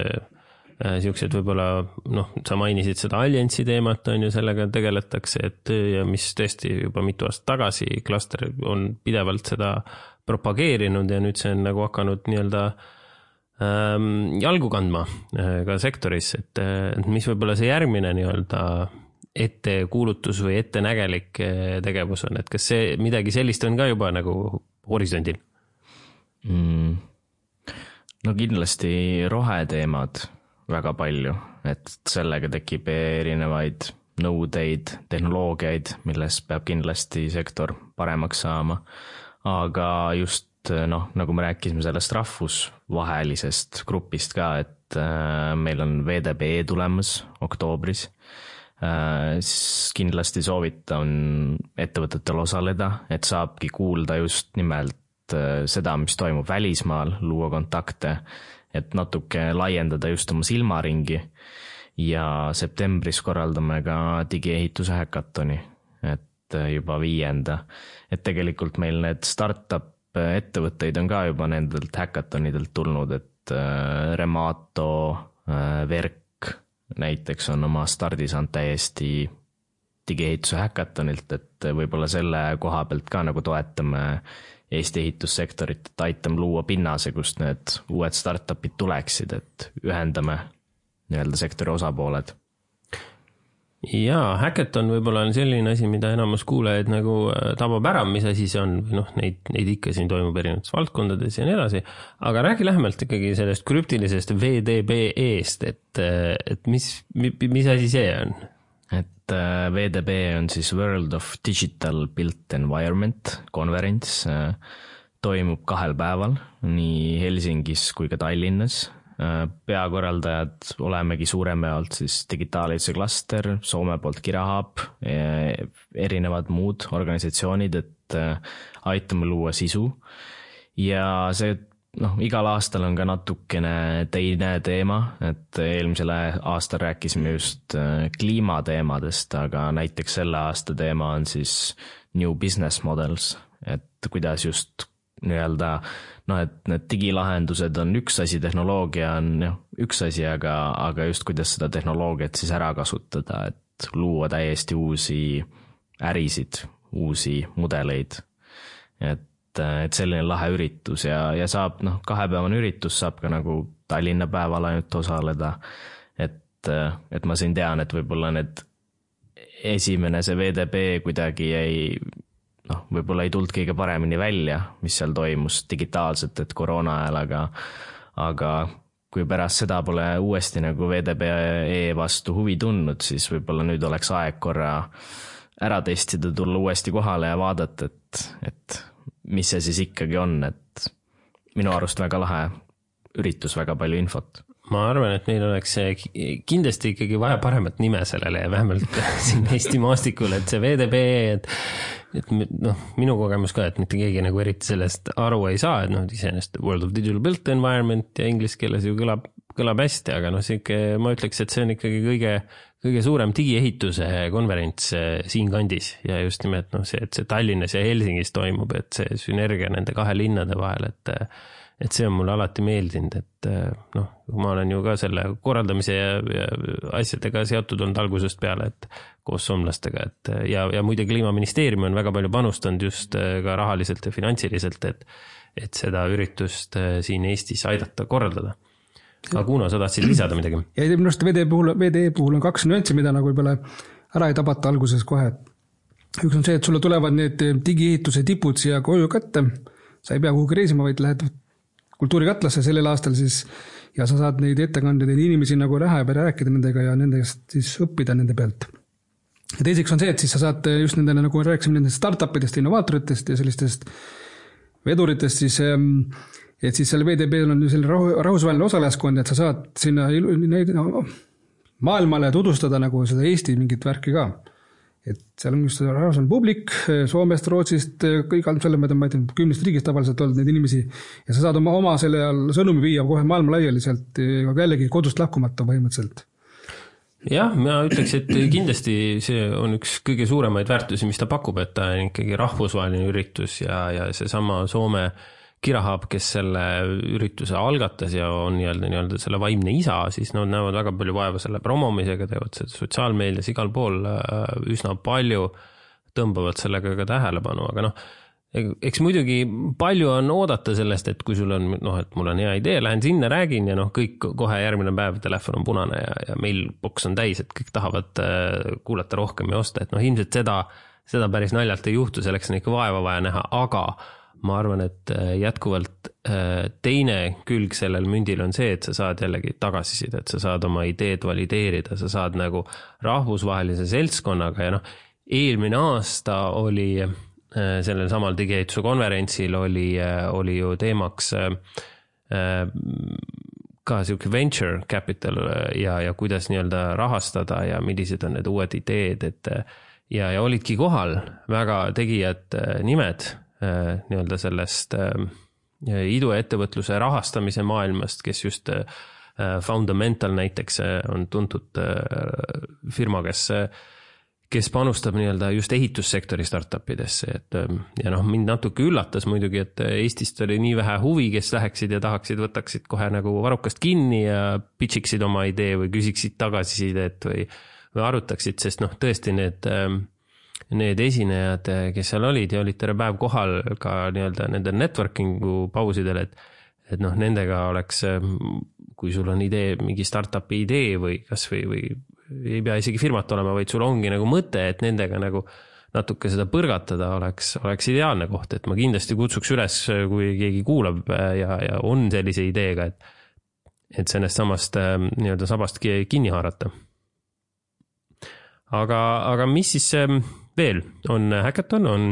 siuksed võib-olla, noh, sa mainisid seda Alliansi teemat, on ju, sellega tegeletakse, et ja mis tõesti juba mitu aastat tagasi klaster on pidevalt seda propageerinud ja nüüd see on nagu hakanud nii-öelda jalgu kandma ka sektoris, et, et mis võib-olla see järgmine nii-öelda ettekuulutus või ettenägelik tegevus on, et kas see midagi sellist on ka juba nagu horisondil? Mm. No kindlasti roheteemad väga palju, et sellega tekib erinevaid nõudeid, tehnoloogiaid, milles peab kindlasti sektor paremaks saama, aga just noh, nagu me rääkisime sellest rahvusvahelisest grupist ka, et meil on V D B tulemas oktoobris, siis kindlasti soovitan ettevõtetel osaleda, et saabki kuulda just nimelt seda, mis toimub välismaal, luua kontakte, et natuke laiendada just oma silmaringi ja septembris korraldame ka digiehituse häkatoni, et juba viienda, et tegelikult meil need startup ettevõtteid on ka juba nendelt häkatonidelt tulnud, et Remato, Verk näiteks on oma stardi saanud täiesti digiehituse häkatonilt, et võib-olla selle koha pealt ka nagu toetame Eesti ehitussektorit, et aitame luua pinnase, kust need uued startupid tuleksid, et ühendame nii-öelda sektori osapooled. Jaa, hackathon võib-olla on selline asi, mida enamus kuulajaid nagu tabab ära, mis asi see on, noh, neid, neid ikka siin toimub erinevates valdkondades ja nii edasi, aga räägi lähemalt ikkagi sellest krüptilisest V D B E-st, et, et mis, mis asi see on? Et V D B on siis World of Digital Built Environment konverents, toimub kahel päeval, nii Helsingis kui ka Tallinnas. Peakorraldajad olemegi suurema jaolt siis digitaalehituse klaster, Soome poolt Kirahab, erinevad muud organisatsioonid, et aitame luua sisu. Ja see, noh, igal aastal on ka natukene teine teema, et eelmisel aastal rääkisime just kliimateemadest, aga näiteks selle aasta teema on siis New Business Models, et kuidas just nii-öelda, noh, et need digilahendused on üks asi, tehnoloogia on jah, üks asi, aga, aga just kuidas seda tehnoloogiat siis ära kasutada, et luua täiesti uusi ärisid, uusi mudeleid. Et, et selline lahe üritus ja, ja saab, noh, kahepäevane üritus saab ka nagu Tallinna päeval ainult osaleda. Et, et ma siin tean, et võib-olla need esimene see V D B kuidagi ei noh, võib-olla ei tulnud kõige paremini välja, mis seal toimus digitaalselt, et koroona ajal, aga, aga kui pärast seda pole uuesti nagu V D B E vastu huvi tundnud, siis võib-olla nüüd oleks aeg korra ära testida, tulla uuesti kohale ja vaadata, et, et mis see siis ikkagi on, et minu arust väga lahe üritus, väga palju infot. Ma arvan, et meil oleks kindlasti ikkagi vaja paremat nime sellele ja vähemalt siin Eesti maastikul, et see V D B, et, et noh, minu kogemus ka, et mitte keegi nagu eriti sellest aru ei saa, et noh, iseenesest World of Digital Built Environment ja inglise keeles ju kõlab, kõlab hästi, aga noh, siuke, ma ütleks, et see on ikkagi kõige, kõige suurem digiehituse konverents siin kandis ja just nimelt noh, see, et see Tallinnas ja Helsingis toimub, et see sünergia nende kahe linnade vahel, et et see on mulle alati meeldinud, et noh, ma olen ju ka selle korraldamise ja, ja asjadega seotud olnud algusest peale, et koos soomlastega, et ja, ja muide Kliimaministeerium on väga palju panustanud just ka rahaliselt ja finantsiliselt, et, et seda üritust siin Eestis aidata korraldada. Aga Kuno, sa tahtsid lisada midagi? Ja minu arust V D puhul, V D puhul on kaks nüanssi, mida nagu võib-olla ära ei tabata alguses kohe. Üks on see, et sulle tulevad need digiehituse tipud siia koju kätte, sa ei pea kuhugi reisima, vaid lähed kultuurikatlasse sellel aastal siis ja sa saad neid ettekandeid ja inimesi nagu näha ja rääkida nendega ja nendest siis õppida nende pealt. Ja teiseks on see, et siis sa saad just nendele, nagu rääkisime nendest startupidest, innovaatoritest ja sellistest veduritest siis, et siis selle V D B-l on selline rahvusvaheline osalejaskond, et sa saad sinna no, maailmale tutvustada nagu seda Eesti mingit värki ka. Et seal on just rahvusvaheline publik, Soomest, Rootsist, kõik selle, ma ei tea, kümnest riigist tavaliselt olnud neid inimesi ja sa saad oma, oma selle sõnumi viia kohe maailma laialiselt ja jällegi kodust lahkumata põhimõtteliselt. Jah, ma ütleks, et kindlasti see on üks kõige suuremaid väärtusi, mis ta pakub, et ta on ikkagi rahvusvaheline üritus ja, ja see sama Soome Kirahab, kes selle ürituse algatas ja on nii-öelda, nii-öelda selle vaimne isa, siis nad näevad väga palju vaeva selle promomisega, teevad seda sotsiaalmeedias igal pool üsna palju, tõmbavad sellega ka tähelepanu, aga noh, eks muidugi palju on oodata sellest, et kui sul on, noh, et mul on hea idee, lähen sinna, räägin ja noh, kõik kohe järgmine päev telefon on punane ja, ja mailbox on täis, et kõik tahavad kuulata rohkem ja osta, et noh, ilmselt seda, seda päris naljalt ei juhtu, selleks on ikka vaeva vaja näha, aga ma arvan, et jätkuvalt teine külg sellel mündil on see, et sa saad jällegi tagasisida, et sa saad oma ideed valideerida, sa saad nagu rahvusvahelise seltskonnaga ja noh, eelmine aasta oli sellel samal digiehituse konverentsil oli, oli ju teemaks ka siuke venture capital ja, ja kuidas nii-öelda rahastada ja millised on need uued ideed, et ja, ja olidki kohal väga tegijad nimed nii-öelda sellest iduettevõtluse rahastamise maailmast, kes just Fundamental näiteks on tuntud firma, kes kes panustab nii-öelda just ehitussektori startupidesse, et ja noh, mind natuke üllatas muidugi, et Eestist oli nii vähe huvi, kes läheksid ja tahaksid, võtaksid kohe nagu varrukast kinni ja pitchiksid oma idee või küsiksid tagasisidet või, või arutaksid, sest noh, tõesti need, need esinejad, kes seal olid ja olid terve päev kohal ka nii-öelda nende networkingu pausidel, et, et noh, nendega oleks, kui sul on idee, mingi startupi idee või kas või, või ei pea isegi firmat olema, vaid sul ongi nagu mõte, et nendega nagu natuke seda põrgatada oleks, oleks ideaalne koht, et ma kindlasti kutsuks üles, kui keegi kuulab ja, ja on sellise ideega, et, et sellest samast nii-öelda sabast kinni haarata. Aga, aga mis siis veel on hackathon, on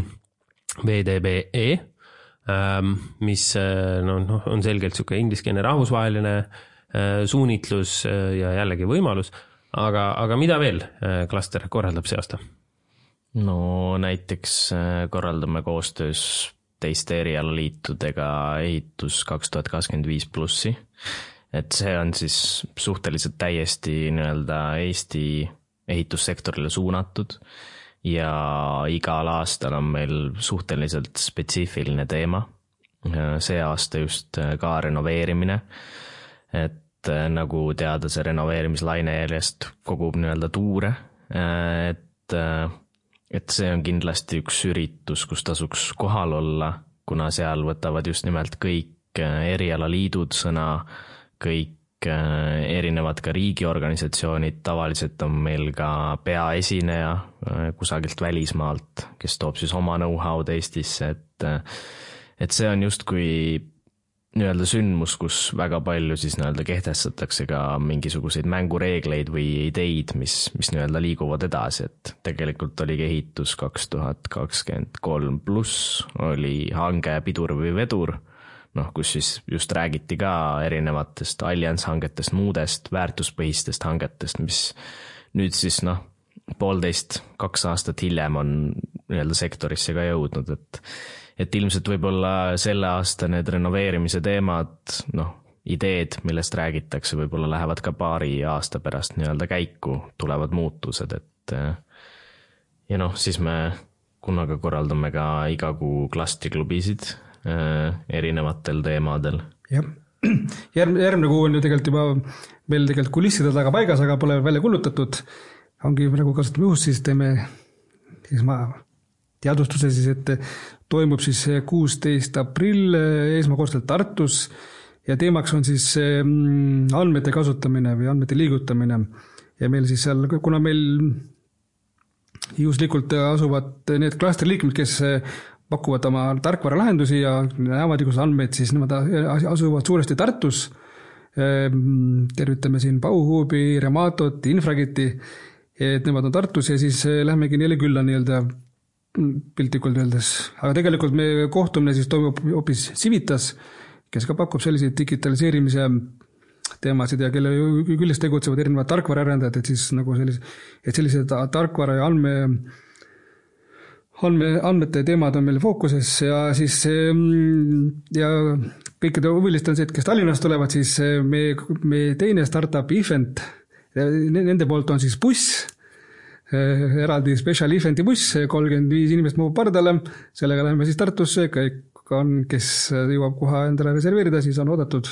V D B E, mis no, no, on selgelt siuke ingliskeelne rahvusvaheline suunitlus ja jällegi võimalus. Aga, aga mida veel klaster korraldab see aasta? No näiteks korraldame koostöös teiste erialaliitudega ehitus kaks tuhat kakskümmend viis plussi. Et see on siis suhteliselt täiesti nii-öelda Eesti ehitussektorile suunatud ja igal aastal on meil suhteliselt spetsiifiline teema. See aasta just ka renoveerimine, et nagu teada see renoveerimislaine järjest kogub nii-öelda tuure, et, et see on kindlasti üks üritus, kus tasuks kohal olla, kuna seal võtavad just nimelt kõik erialaliidud sõna, kõik erinevad ka riigiorganisatsioonid, tavaliselt on meil ka peaesineja kusagilt välismaalt, kes toob siis oma know-how'd Eestisse, et, et see on just kui nii-öelda sündmus, kus väga palju siis nii-öelda kehtestatakse ka mingisuguseid mängureegleid või ideid, mis, mis nii-öelda liiguvad edasi, et tegelikult oli ehitus kaks tuhat kakskümmend kolm pluss, oli hange pidur või vedur, noh, kus siis just räägiti ka erinevatest allianshangetest, muudest väärtuspõhistest hangetest, mis nüüd siis noh, poolteist, kaks aastat hiljem on nii-öelda sektorisse ka jõudnud, et et ilmselt võib-olla selle aasta need renoveerimise teemad, noh, ideed, millest räägitakse, võib-olla lähevad ka paari aasta pärast nii-öelda käiku, tulevad muutused, et ja noh, siis me kunagi korraldame ka iga kuu klastriklubisid erinevatel teemadel. Jah, Järg, järgmine kuu on ju tegelikult juba meil tegelikult kulisside taga paigas, aga pole välja kullutatud. Ongi nagu kasutame juhust, siis teeme siis ma teadvustuse siis, et toimub siis kuusteist aprill esmakordselt Tartus ja teemaks on siis andmete kasutamine või andmete liigutamine. Ja meil siis seal, kuna meil juhuslikult asuvad need klastri liikmed, kes pakuvad oma tarkvara lahendusi ja näevad igus andmeid, siis nemad asuvad suuresti Tartus. Tervitame siin Bauhubi, Rematot, Infrageti, et nemad on Tartus ja siis lähmegi neile külla nii-öelda piltlikult öeldes. Aga tegelikult me kohtumine siis toimub hoopis Civitas, kes ka pakub selliseid digitaliseerimise teemasid ja kelle küljes tegutsevad erinevad tarkvaraarendajad, et siis nagu sellise, et sellised tarkvara ja andme, andme, andmete teemad on meil fookuses ja siis ja kõikide huvilist on see, et kes Tallinnast tulevad, siis me, me teine startup event, nende poolt on siis buss, eraldi special eventi buss, kolmkümmend viis inimest mahub pardale, sellega läheme siis Tartusse, kõik on, kes jõuab koha endale reserveerida, siis on oodatud.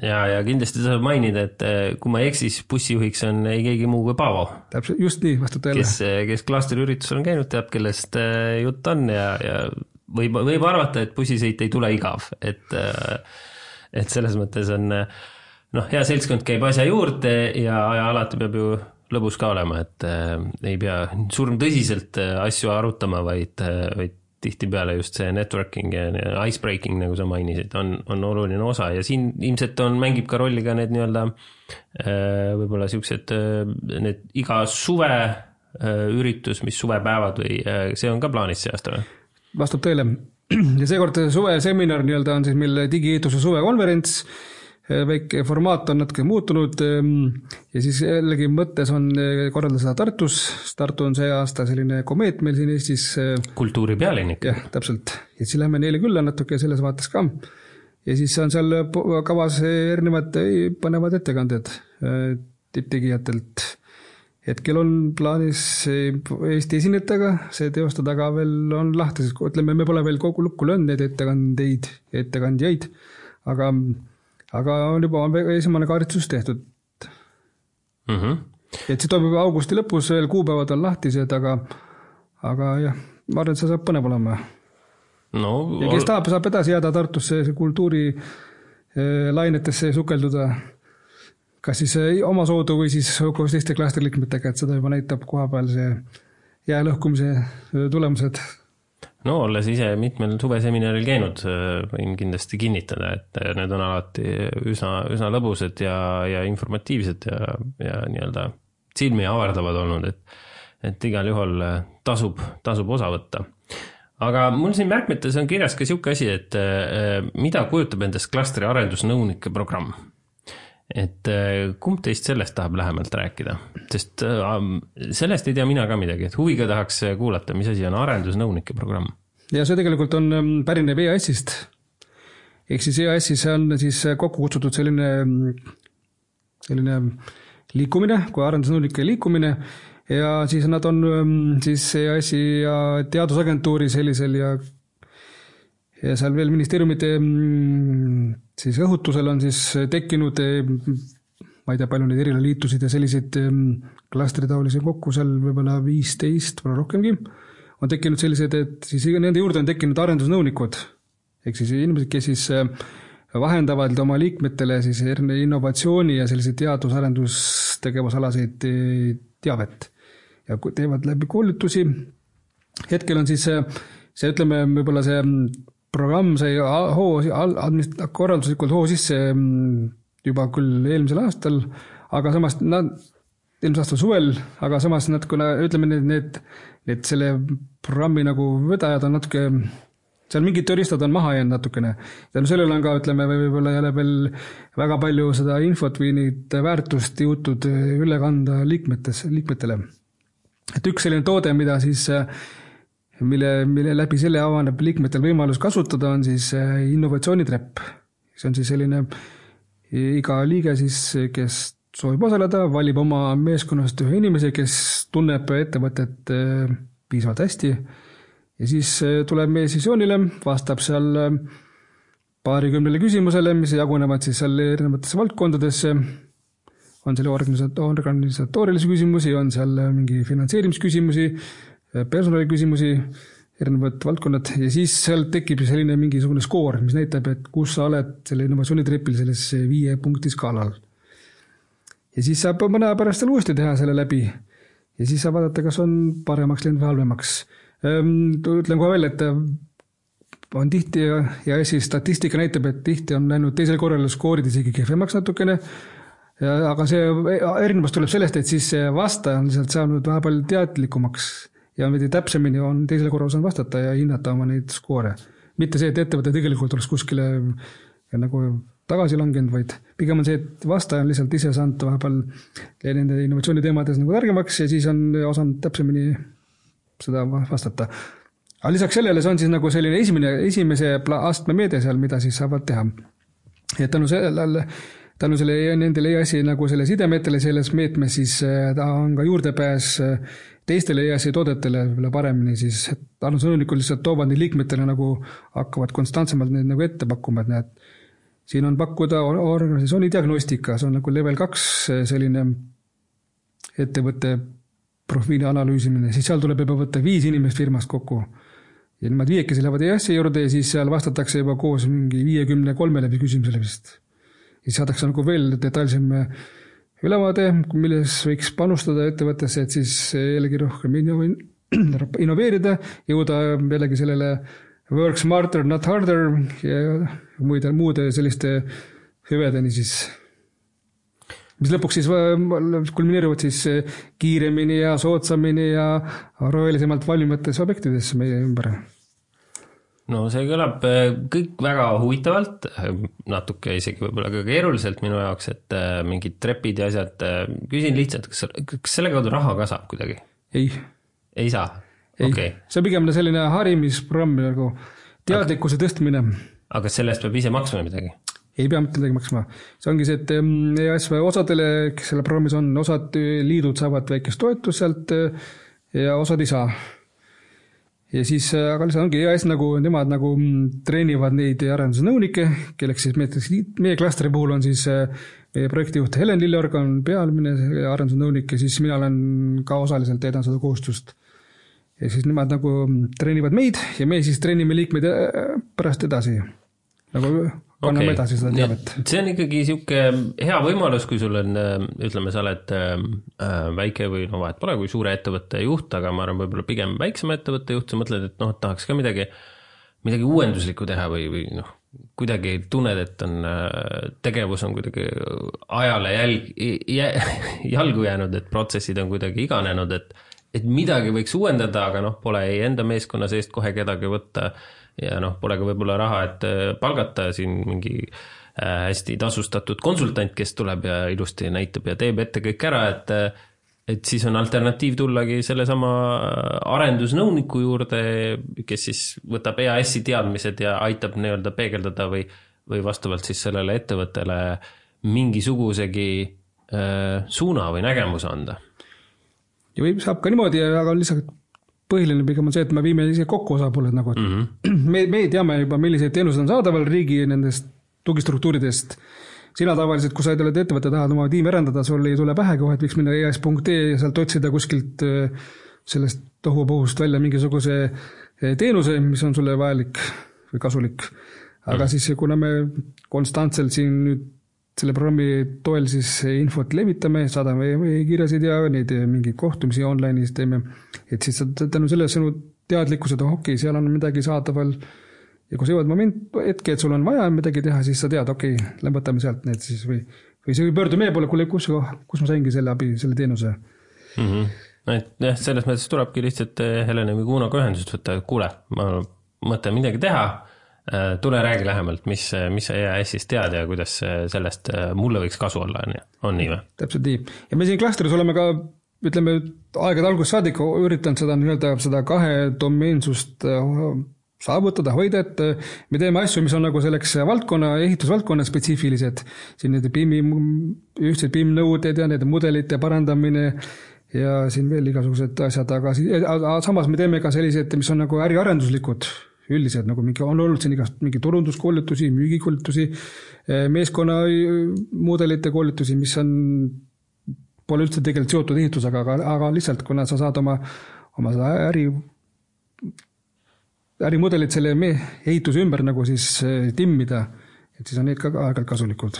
Ja, ja kindlasti saab mainida, et kui ma eksis, bussijuhiks on ei keegi muu kui Paavo. Täpselt, just nii, vastab teile. Kes, kes klastri üritusel on käinud, teab, kellest jutt on ja, ja võib, võib arvata, et bussisõit ei tule igav, et, et selles mõttes on, noh, hea seltskond käib asja juurde ja, ja alati peab ju lõbus ka olema, et äh, ei pea surm tõsiselt asju arutama, vaid, vaid tihti peale just see networking ja icebreaking, nagu sa mainisid, on, on oluline osa ja siin ilmselt on, mängib ka rolli ka need nii-öelda äh, võib-olla siuksed äh, need iga suve äh, üritus, mis suvepäevad või äh, see on ka plaanis see aasta või? Vastab teile. Ja seekord suve seminar nii-öelda on siis meil digiehituse suvekonverents, väike formaat on natuke muutunud ja siis jällegi mõttes on korraldada seda Tartus. Tartu on see aasta selline komeet meil siin Eestis. Kultuuri pealinnik. Jah, täpselt. Ja siis lähme neile külla natuke selles vaates ka. Ja siis on seal kavas erinevad panevad ettekanded tipptegijatelt. Hetkel on plaanis Eesti esinetaga see teostada, aga veel on lahti, sest ütleme, me pole veel kogu lukku löönud neid ettekandeid ja ettekandjaid, aga, aga on juba esimene kaardistus tehtud. Mm-hmm. Et see toimub augusti lõpus, veel kuupäevad on lahtised, aga, aga jah, ma arvan, et see saab põnev olema. No, ja kes tahab, saab edasi jääda Tartusse kultuuri lainetesse sukelduda, kas siis oma soodu või siis koos teiste klastriliikmetega, et seda juba näitab koha peal see jäälõhkumise tulemused. No olles ise mitmel suveseminaril käinud, võin kindlasti kinnitada, et need on alati üsna, üsna lõbused ja, ja informatiivsed ja, ja nii-öelda silmi avardavad olnud, et, et igal juhul tasub, tasub osa võtta. Aga mul siin märkmetes on kirjas ka siuke asi, et mida kujutab endast klastri arendusnõunike programm? Et kumb teist sellest tahab lähemalt rääkida? Sest sellest ei tea mina ka midagi, et huviga tahaks kuulata, mis asi on arendusnõunike programm. Ja see tegelikult on pärineb E A S-ist. Ehk siis E A S-is on siis kokku kutsutud selline, selline liikumine, kui arendusnõunike liikumine, ja siis nad on siis E A S-i ja teadusagentuuri sellisel ja ja seal veel ministeeriumite siis õhutusel on siis tekkinud, ma ei tea, palju neid erila liitusid ja selliseid klastritaolisi kokku, seal võib-olla viisteist, võib-olla rohkemgi, on tekkinud sellised, et siis nende juurde on tekkinud arendusnõunikud, ehk siis inimesed, kes siis vahendavad oma liikmetele siis innovatsiooni ja selliseid teadus-arendustegevusalaseid teavet ja teevad läbi koolitusi. Hetkel on siis see, see ütleme, võib-olla see programm sai hoo, korralduslikult hoo sisse juba küll eelmisel aastal, aga samas nad, eelmisel aastal suvel, aga samas nad, kuna ütleme, need, need, need selle programmi nagu vedajad on natuke, seal mingid tööriistad on maha jäänud natukene. Ja sellel on ka, ütleme, võib-olla jälle veel väga palju seda infot või neid väärtust jõutud üle kanda liikmetes, liikmetele. Et üks selline toode, mida siis mille, mille läbi selle avaneb liikmetel võimalus kasutada, on siis innovatsioonitrepp. See on siis selline iga liige, siis, kes soovib osaleda, valib oma meeskonnast ühe inimese, kes tunneb ettevõtet piisavalt hästi ja siis tuleb meie sessioonile, vastab seal paarikümnele küsimusele, mis jagunevad siis seal erinevatesse valdkondadesse. On seal organisatoorilisi küsimusi, on seal mingi finantseerimisküsimusi, personaliküsimusi, erinevad valdkonnad ja siis seal tekib selline mingisugune skoor, mis näitab, et kus sa oled selle innovatsioonitrepil selles viie punkti skaalal. Ja siis saab mõne pärast seal uuesti teha selle läbi ja siis saab vaadata, kas on paremaks läinud või halvemaks. Ütlen kohe veel, et on tihti ja siis statistika näitab, et tihti on läinud teisel korral skoorid isegi kehvemaks natukene, ja, aga see erinevus tuleb sellest, et siis see vastaja on lihtsalt saanud väga palju teadlikumaks ja veidi täpsemini on teisel korral saanud vastata ja hinnata oma neid skoore. Mitte see, et ettevõte tegelikult oleks kuskile nagu tagasi langenud, vaid pigem on see, et vastaja on lihtsalt ise saanud vahepeal nende innovatsiooniteemades nagu targemaks ja siis on osanud täpsemini seda vastata. Aga lisaks sellele see on siis nagu selline esimene, esimese astme meede seal, mida siis saavad teha. Ja tänu sellele tänu selle nendele E A S-i nagu selle sidemetele selles meetmes, siis ta on ka juurdepääs teistele E A S-i toodetele paremini, siis arendusnõunikud lihtsalt toovad neid liikmetele nagu hakkavad konstantsemalt need nagu ette pakkuma, et näed, siin on pakkuda organisatsiooni diagnostika, see on nagu level kaks selline ettevõtte profiili analüüsimine, siis seal tuleb juba võtta viis inimest firmast kokku. Ja nemad viiekesi lähevad E A S-i juurde ja siis seal vastatakse juba koos mingi viiekümne kolme läbi küsimusele vist. Ja saadakse nagu veel detailsem ülevaade, milles võiks panustada ettevõttesse, et siis jällegi rohkem innoveerida, jõuda jällegi sellele work smarter, not harder ja muude, muude selliste hüvedeni siis, mis lõpuks siis kulmineeruvad siis kiiremini ja sootsamini ja rohelisemalt valmimates objektides meie ümber. no see kõlab kõik väga huvitavalt, natuke isegi võib-olla ka keeruliselt minu jaoks, et mingid trepid ja asjad, küsin lihtsalt, kas, kas selle kaudu raha ka saab kuidagi? Ei. Ei saa? Ei, okay. See on pigem selline harimisprogramm, nagu teadlikkuse aga, tõstmine. Aga sellest peab ise maksma midagi? Ei pea mitte midagi maksma. See ongi see, et E A S osadele, kes selle programmis on, osad liidud saavad väikest toetust sealt ja osad ei saa. Ja siis, aga lihtsalt ongi E A S nagu, nemad nagu treenivad neid arendusnõunikke, kelleks siis meie, meie klastri puhul on siis meie projektijuht Helen Lilleorg on pealmine arendusnõunik ja siis mina olen ka osaliselt edan seda kohustust. Ja siis nemad nagu treenivad meid ja me siis treenime liikmeid pärast edasi. Nagu kanname okay. edasi seda teavet. See on ikkagi siuke hea võimalus, kui sul on, ütleme, sa oled väike või no vahet pole, kui suure ettevõtte juht, aga ma arvan võib-olla pigem väiksema ettevõtte juht, sa mõtled, et noh, tahaks ka midagi, midagi uuenduslikku teha või, või noh, kuidagi tunned, et on, tegevus on kuidagi ajale jälg, jalgu jäänud, et protsessid on kuidagi iganenud, et, et midagi võiks uuendada, aga noh, pole ei enda meeskonna seest kohe kedagi võtta ja noh, pole ka võib-olla raha, et palgata siin mingi hästi tasustatud konsultant, kes tuleb ja ilusti näitab ja teeb ette kõik ära, et, et siis on alternatiiv tullagi selle sama arendusnõuniku juurde, kes siis võtab E A S-i teadmised ja aitab nii-öelda peegeldada või, või vastavalt siis sellele ettevõttele mingisugusegi äh, suuna või nägemuse anda. Ja võib saab ka niimoodi, aga lihtsalt põhiline pigem on see, et me viime ise kokku osapooled nagu. Mm-hmm. Me, me teame juba, milliseid teenused on saadaval riigi nendest tugistruktuuridest. Sina tavaliselt, kui sa oled ettevõtte, tahad oma tiimi arendada, sul ei tule pähegi, et võiks minna E A S punkt E ja sealt otsida kuskilt sellest tohupohust välja mingisuguse teenuse, mis on sulle vajalik või kasulik. Aga mm-hmm. siis, kuna me konstantselt siin nüüd selle programmi toel siis infot levitame, saadame kirjasid ja neid mingeid kohtumisi online'is teeme, et siis tänu selle sinu teadlikkused, oh, okei, seal on midagi saadaval ja kui sa jõuad moment, hetke, et sul on vaja midagi teha, siis sa tead, okei, lämbatame sealt need siis või, või see pöördu meie poole, kuule, kus, kus ma saingi selle abi, selle teenuse. Mm-hmm. Et jah, selles mõttes tulebki lihtsalt Helene või Kuunaga ühendust võtta, kuule, ma mõtlen midagi teha, tule räägi lähemalt, mis, mis sa E A S-ist tead ja kuidas sellest mulle võiks kasu olla, on nii või? Täpselt nii. Ja me siin klastris oleme ka, ütleme, aegade alguses saadik üritanud seda, nii-öelda, seda kahe domeensust saavutada, hoida, et me teeme asju, mis on nagu selleks valdkonna, ehitusvaldkonna spetsiifilised. Siin need B I M-i, ühtsed B I M-nõuded ja need mudelite parandamine ja siin veel igasugused asjad, aga, aga samas me teeme ka sellised, mis on nagu äriarenduslikud üldiselt, nagu mingi, on olnud siin igast mingi turunduskoolitusi, müügikoolitusi, meeskonna mudelite koolitusi, mis on, pole üldse tegelikult seotud ehitusega, aga, aga lihtsalt, kuna sa saad oma, oma äri, ärimudelid selle ehituse ümber nagu siis timmida, et siis on need ka aeg-ajalt kasulikud.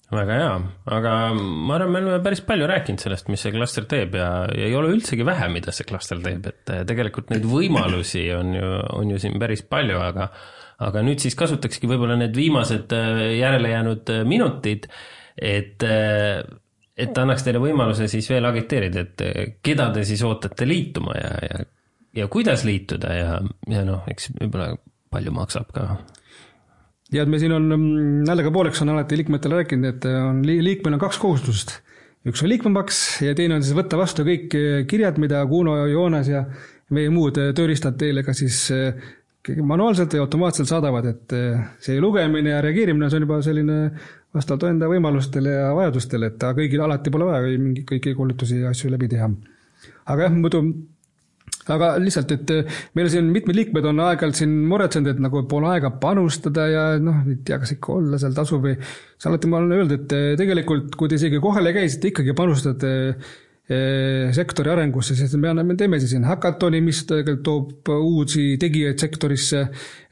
Väga hea, aga ma arvan, me oleme päris palju rääkinud sellest, mis see klaster teeb ja, ja ei ole üldsegi vähe, mida see klaster teeb, et tegelikult neid võimalusi on ju, on ju siin päris palju, aga, aga nüüd siis kasutakski võib-olla need viimased järele jäänud minutid, et, et annaks teile võimaluse siis veel agiteerida, et keda te siis ootate liituma ja, ja, ja kuidas liituda ja, ja noh, eks võib-olla palju maksab ka. Ja et me siin on, nällega pooleks on alati liikmetele rääkinud, et on, liikmel on kaks kohustust. Üks on liikmemaks ja teine on siis võtta vastu kõik kirjad, mida Kuno, Joonas ja meie muud tööriistad teile ka siis manuaalselt ja automaatselt saadavad, et see lugemine ja reageerimine on juba selline vastavalt enda võimalustele ja vajadustele, et kõigil alati pole vaja mingi kõiki koolitusi ja asju läbi teha. Aga jah, muidu aga lihtsalt, et meil siin mitmed liikmed on aeg-ajalt siin muretsenud, et nagu pole aega panustada ja noh, ei tea, kas ikka olla seal tasu või see alati ma olen öelnud, et tegelikult, kui te isegi kohale käisite, ikkagi panustate sektori arengusse, sest me, anname, me teeme siin hackatoni, mis tegelikult toob uusi tegijaid sektorisse,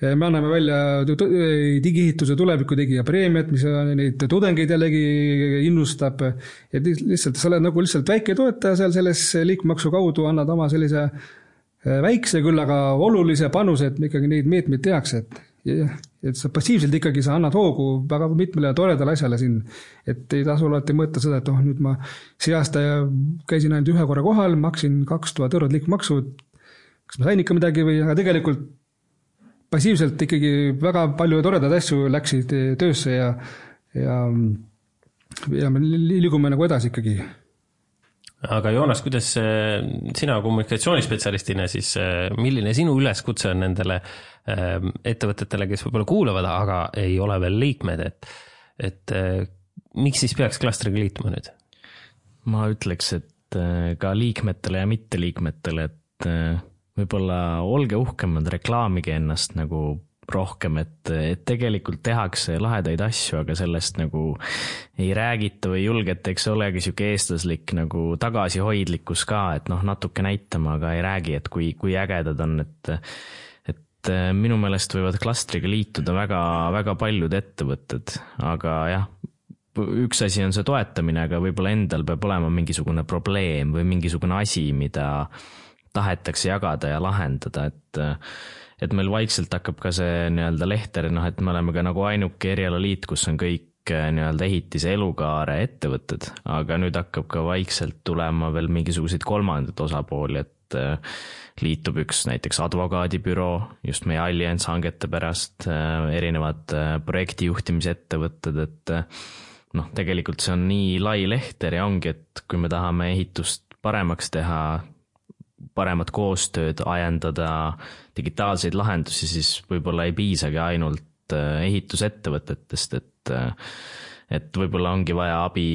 me anname välja digiehituse tuleviku tegija preemiat, mis neid tudengeid jällegi innustab, et lihtsalt sa oled nagu lihtsalt väike toetaja seal selles liikmaksu kaudu, annad oma sellise väikse küll, aga olulise panuse, et ikkagi neid meetmeid tehakse, et, et sa passiivselt ikkagi sa annad hoogu väga mitmele toredale asjale siin, et ei tasu alati mõõta seda, et oh, nüüd ma see aasta käisin ainult ühe korra kohal, maksin kaks tuhat eurot liikmaksu, kas ma sain ikka midagi või, aga tegelikult passiivselt ikkagi väga palju toredad asju läksid töösse ja, ja, ja me liigume nagu edasi ikkagi. Aga Joonas, kuidas sina kommunikatsioonispetsialistina siis, milline sinu üleskutse on nendele ettevõtetele, kes võib-olla kuulavad, aga ei ole veel liikmed, et, et miks siis peaks klastriga liituma nüüd? Ma ütleks, et ka liikmetele ja mitteliikmetele, et võib-olla olge uhkemad, reklaamige ennast nagu rohkem, et, et tegelikult tehakse lahedaid asju, aga sellest nagu ei räägita või julgeta, eks olegi siuke eestlaslik nagu tagasihoidlikkus ka, et noh, natuke näitama, aga ei räägi, et kui, kui ägedad on, et, et minu meelest võivad klastriga liituda väga, väga paljud ettevõtted, aga jah, üks asi on see toetamine, aga võib-olla endal peab olema mingisugune probleem või mingisugune asi, mida tahetakse jagada ja lahendada, et et meil vaikselt hakkab ka see nii-öelda lehter, noh, et me oleme ka nagu ainuke erialaliit, kus on kõik nii-öelda ehitise elukaare ettevõtted, aga nüüd hakkab ka vaikselt tulema veel mingisuguseid kolmandat osapooli, et liitub üks näiteks advokaadibüroo, just meie Allianz hangete pärast, erinevad projektijuhtimise ettevõtted, et noh, tegelikult see on nii lai lehter ja ongi, et kui me tahame ehitust paremaks teha, paremat koostööd, ajendada digitaalseid lahendusi, siis võib-olla ei piisagi ainult ehitusettevõtetest, et, et võib-olla ongi vaja abi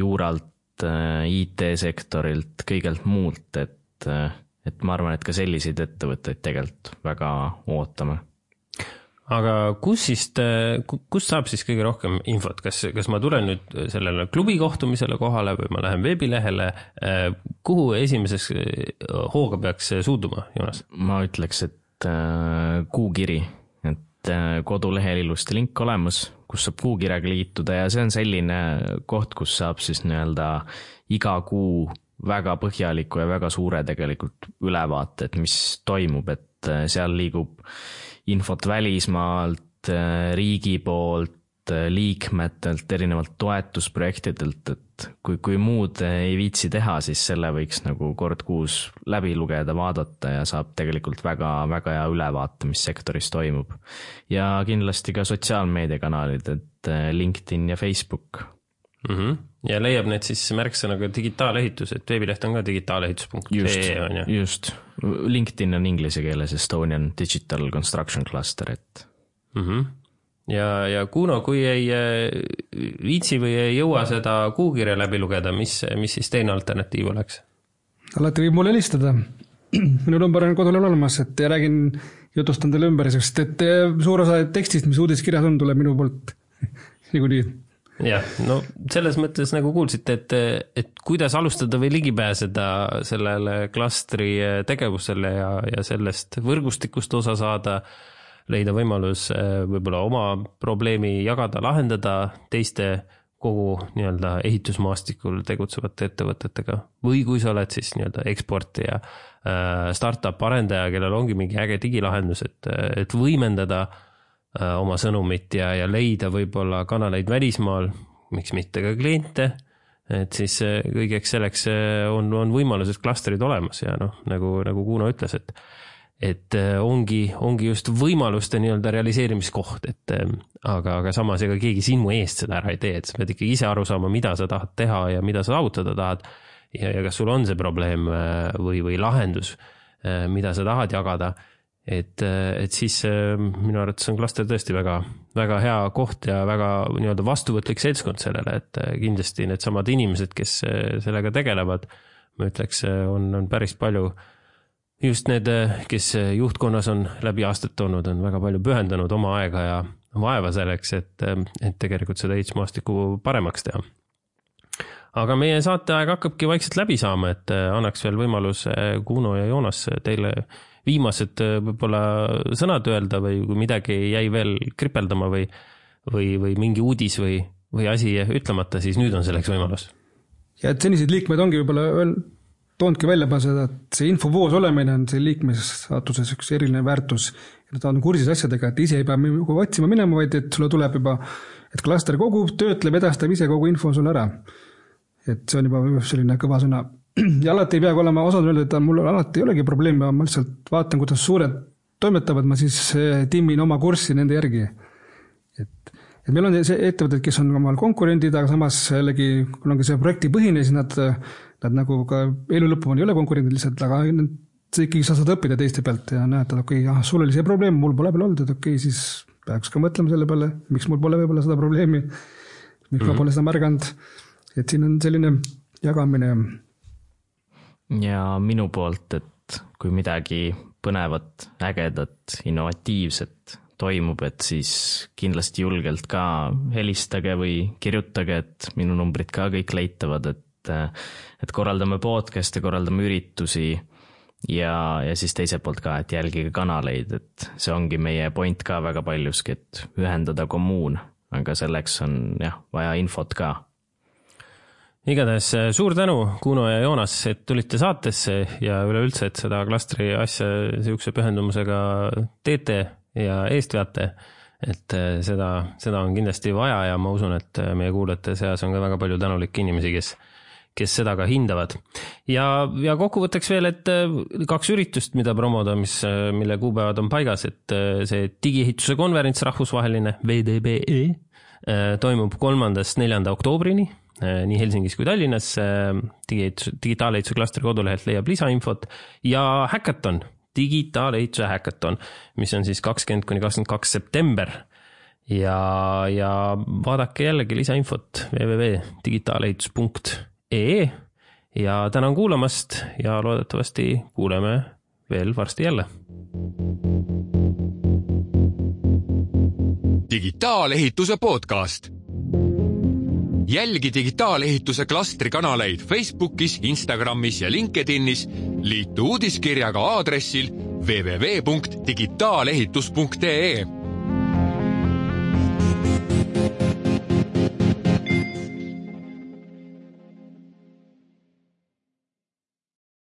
juuralt, I T-sektorilt, kõigelt muult, et, et ma arvan, et ka selliseid ettevõtteid tegelikult väga ootame. Aga kus siis, kus saab siis kõige rohkem infot? Kas, kas ma tulen nüüd sellele klubi kohtumisele kohale või ma lähen veebilehele? Kuhu esimeses hooga peaks suuduma, Joonas? Ma ütleks, et kuukiri, et kodulehel ilusti link olemas, kus saab kuukirjaga liituda ja see on selline koht, kus saab siis nii-öelda iga kuu väga põhjaliku ja väga suure tegelikult ülevaate, et mis toimub, et seal liigub infot välismaalt, riigi poolt, liikmetelt, erinevalt toetusprojektidelt, et kui, kui muud ei viitsi teha, siis selle võiks nagu kord kuus läbi lugeda, vaadata ja saab tegelikult väga, väga hea ülevaate, mis sektoris toimub. Ja kindlasti ka sotsiaalmeediakanalid, et LinkedIn ja Facebook. Mm-hmm. Ja leiab need siis märksõnaga digitaalehitus, et veebileht on ka digitaalehitus punkt ee on ju. Just, LinkedIn on inglise keeles Estonian Digital Construction Cluster, et mm-hmm. ja, ja Kuno, kui ei viitsi või ei jõua seda kuukirja läbi lugeda, mis, mis siis teine alternatiiv oleks? Alati võib mulle helistada. Minu number on kodulehel olemas, et räägin, jutustan teile ümber, sest et suur osa tekstist, mis uudiskirjas on, tuleb minu poolt nagu nii. Jah, no selles mõttes nagu kuulsite, et, et kuidas alustada või ligi pääseda sellele klastri tegevusele ja, ja sellest võrgustikust osa saada, leida võimalus võib-olla oma probleemi jagada, lahendada teiste kogu nii-öelda ehitusmaastikul tegutsevate ettevõtetega. Või kui sa oled siis nii-öelda eksportija, startup arendaja, kellel ongi mingi äge digilahendus, et, et võimendada oma sõnumit ja, ja leida võib-olla kanaleid välismaal, miks mitte ka kliente, et siis kõigeks selleks on, on võimalused klastrid olemas ja noh, nagu, nagu Kuno ütles, et, et ongi, ongi just võimaluste nii-öelda realiseerimiskoht, et aga, aga samas ega keegi sinu eest seda ära ei tee, et sa pead ikkagi ise aru saama, mida sa tahad teha ja mida sa saavutada tahad ja, ja kas sul on see probleem või, või lahendus, mida sa tahad jagada. Et, et siis minu arvates on klaster tõesti väga, väga hea koht ja väga nii-öelda vastuvõtlik seltskond sellele, et kindlasti need samad inimesed, kes sellega tegelevad, ma ütleks, on, on päris palju, just need, kes juhtkonnas on läbi aastat olnud, on väga palju pühendanud oma aega ja vaeva selleks, et, et tegelikult seda ehitusmaastikku paremaks teha. Aga meie saateaeg hakkabki vaikselt läbi saama, et annaks veel võimalus Kuno ja Joonas teile viimased võib-olla sõnad öelda või kui midagi jäi veel kripeldama või, või, või mingi uudis või, või asi ütlemata, siis nüüd on selleks võimalus. Ja et senised liikmed ongi võib-olla toonudki välja seda, et see infovoos olemine on see liikmesaatuses üks eriline väärtus. Ja ta on kursis asjadega, et ise ei pea otsima minema, vaid et sulle tuleb juba, et klaster kogub, töötleb, edastab ise kogu info sulle ära. Et see on juba selline kõva sõna. Ja alati ei peagi olema osad öelda, et mul alati ei olegi probleemi, ma lihtsalt vaatan, kuidas suured toimetavad, ma siis timmin oma kurssi nende järgi. Et, et meil on see ettevõtted, kes on omal konkurendid, aga samas jällegi, kui ongi see projekti põhine, siis nad, nad nagu ka elu lõppu ei ole konkurendid lihtsalt, aga see ikkagi sa saad õppida teiste pealt ja näed, et okei, okay, ah, sul oli see probleem, mul pole peal olnud, et okei, okay, siis peaks ka mõtlema selle peale, miks mul pole võib-olla seda probleemi, miks mm-hmm. ma pole seda märganud, et siin on selline jagamine. Ja minu poolt, et kui midagi põnevat, ägedat, innovatiivset toimub, et siis kindlasti julgelt ka helistage või kirjutage, et minu numbrid ka kõik leitavad, et, et korraldame podcast'e, korraldame üritusi ja, ja siis teiselt poolt ka, et jälgige kanaleid, et see ongi meie point ka väga paljuski, et ühendada kommuun, aga selleks on jah, vaja infot ka. Igatahes suur tänu, Kuno ja Joonas, et tulite saatesse ja üleüldse, et seda klastri asja siukse pühendumusega teete ja eest veate, et seda, seda on kindlasti vaja ja ma usun, et meie kuulajate seas on ka väga palju tänulikke inimesi, kes, kes seda ka hindavad. Ja, ja kokkuvõtteks veel, et kaks üritust, mida promoda, mis, mille kuupäevad on paigas, et see digiehituse konverents rahvusvaheline V D B E toimub kolmandast neljanda oktoobrini, nii Helsingis kui Tallinnas, digitaalehituse klastri kodulehelt leiab lisainfot ja häkaton, digitaalehituse häkaton, mis on siis kakskümmend kuni kakskümmend kaks september ja, ja vaadake jällegi lisainfot w w w punkt digitaalehitus punkt e e ja tänan kuulamast ja loodetavasti kuuleme veel varsti jälle. Digitaalehituse podcast. Jälgi digitaalehituse klastri kanaleid Facebookis, Instagramis ja LinkedInis, liitu uudiskirjaga aadressil w w w punkt digitaalehitus punkt e e.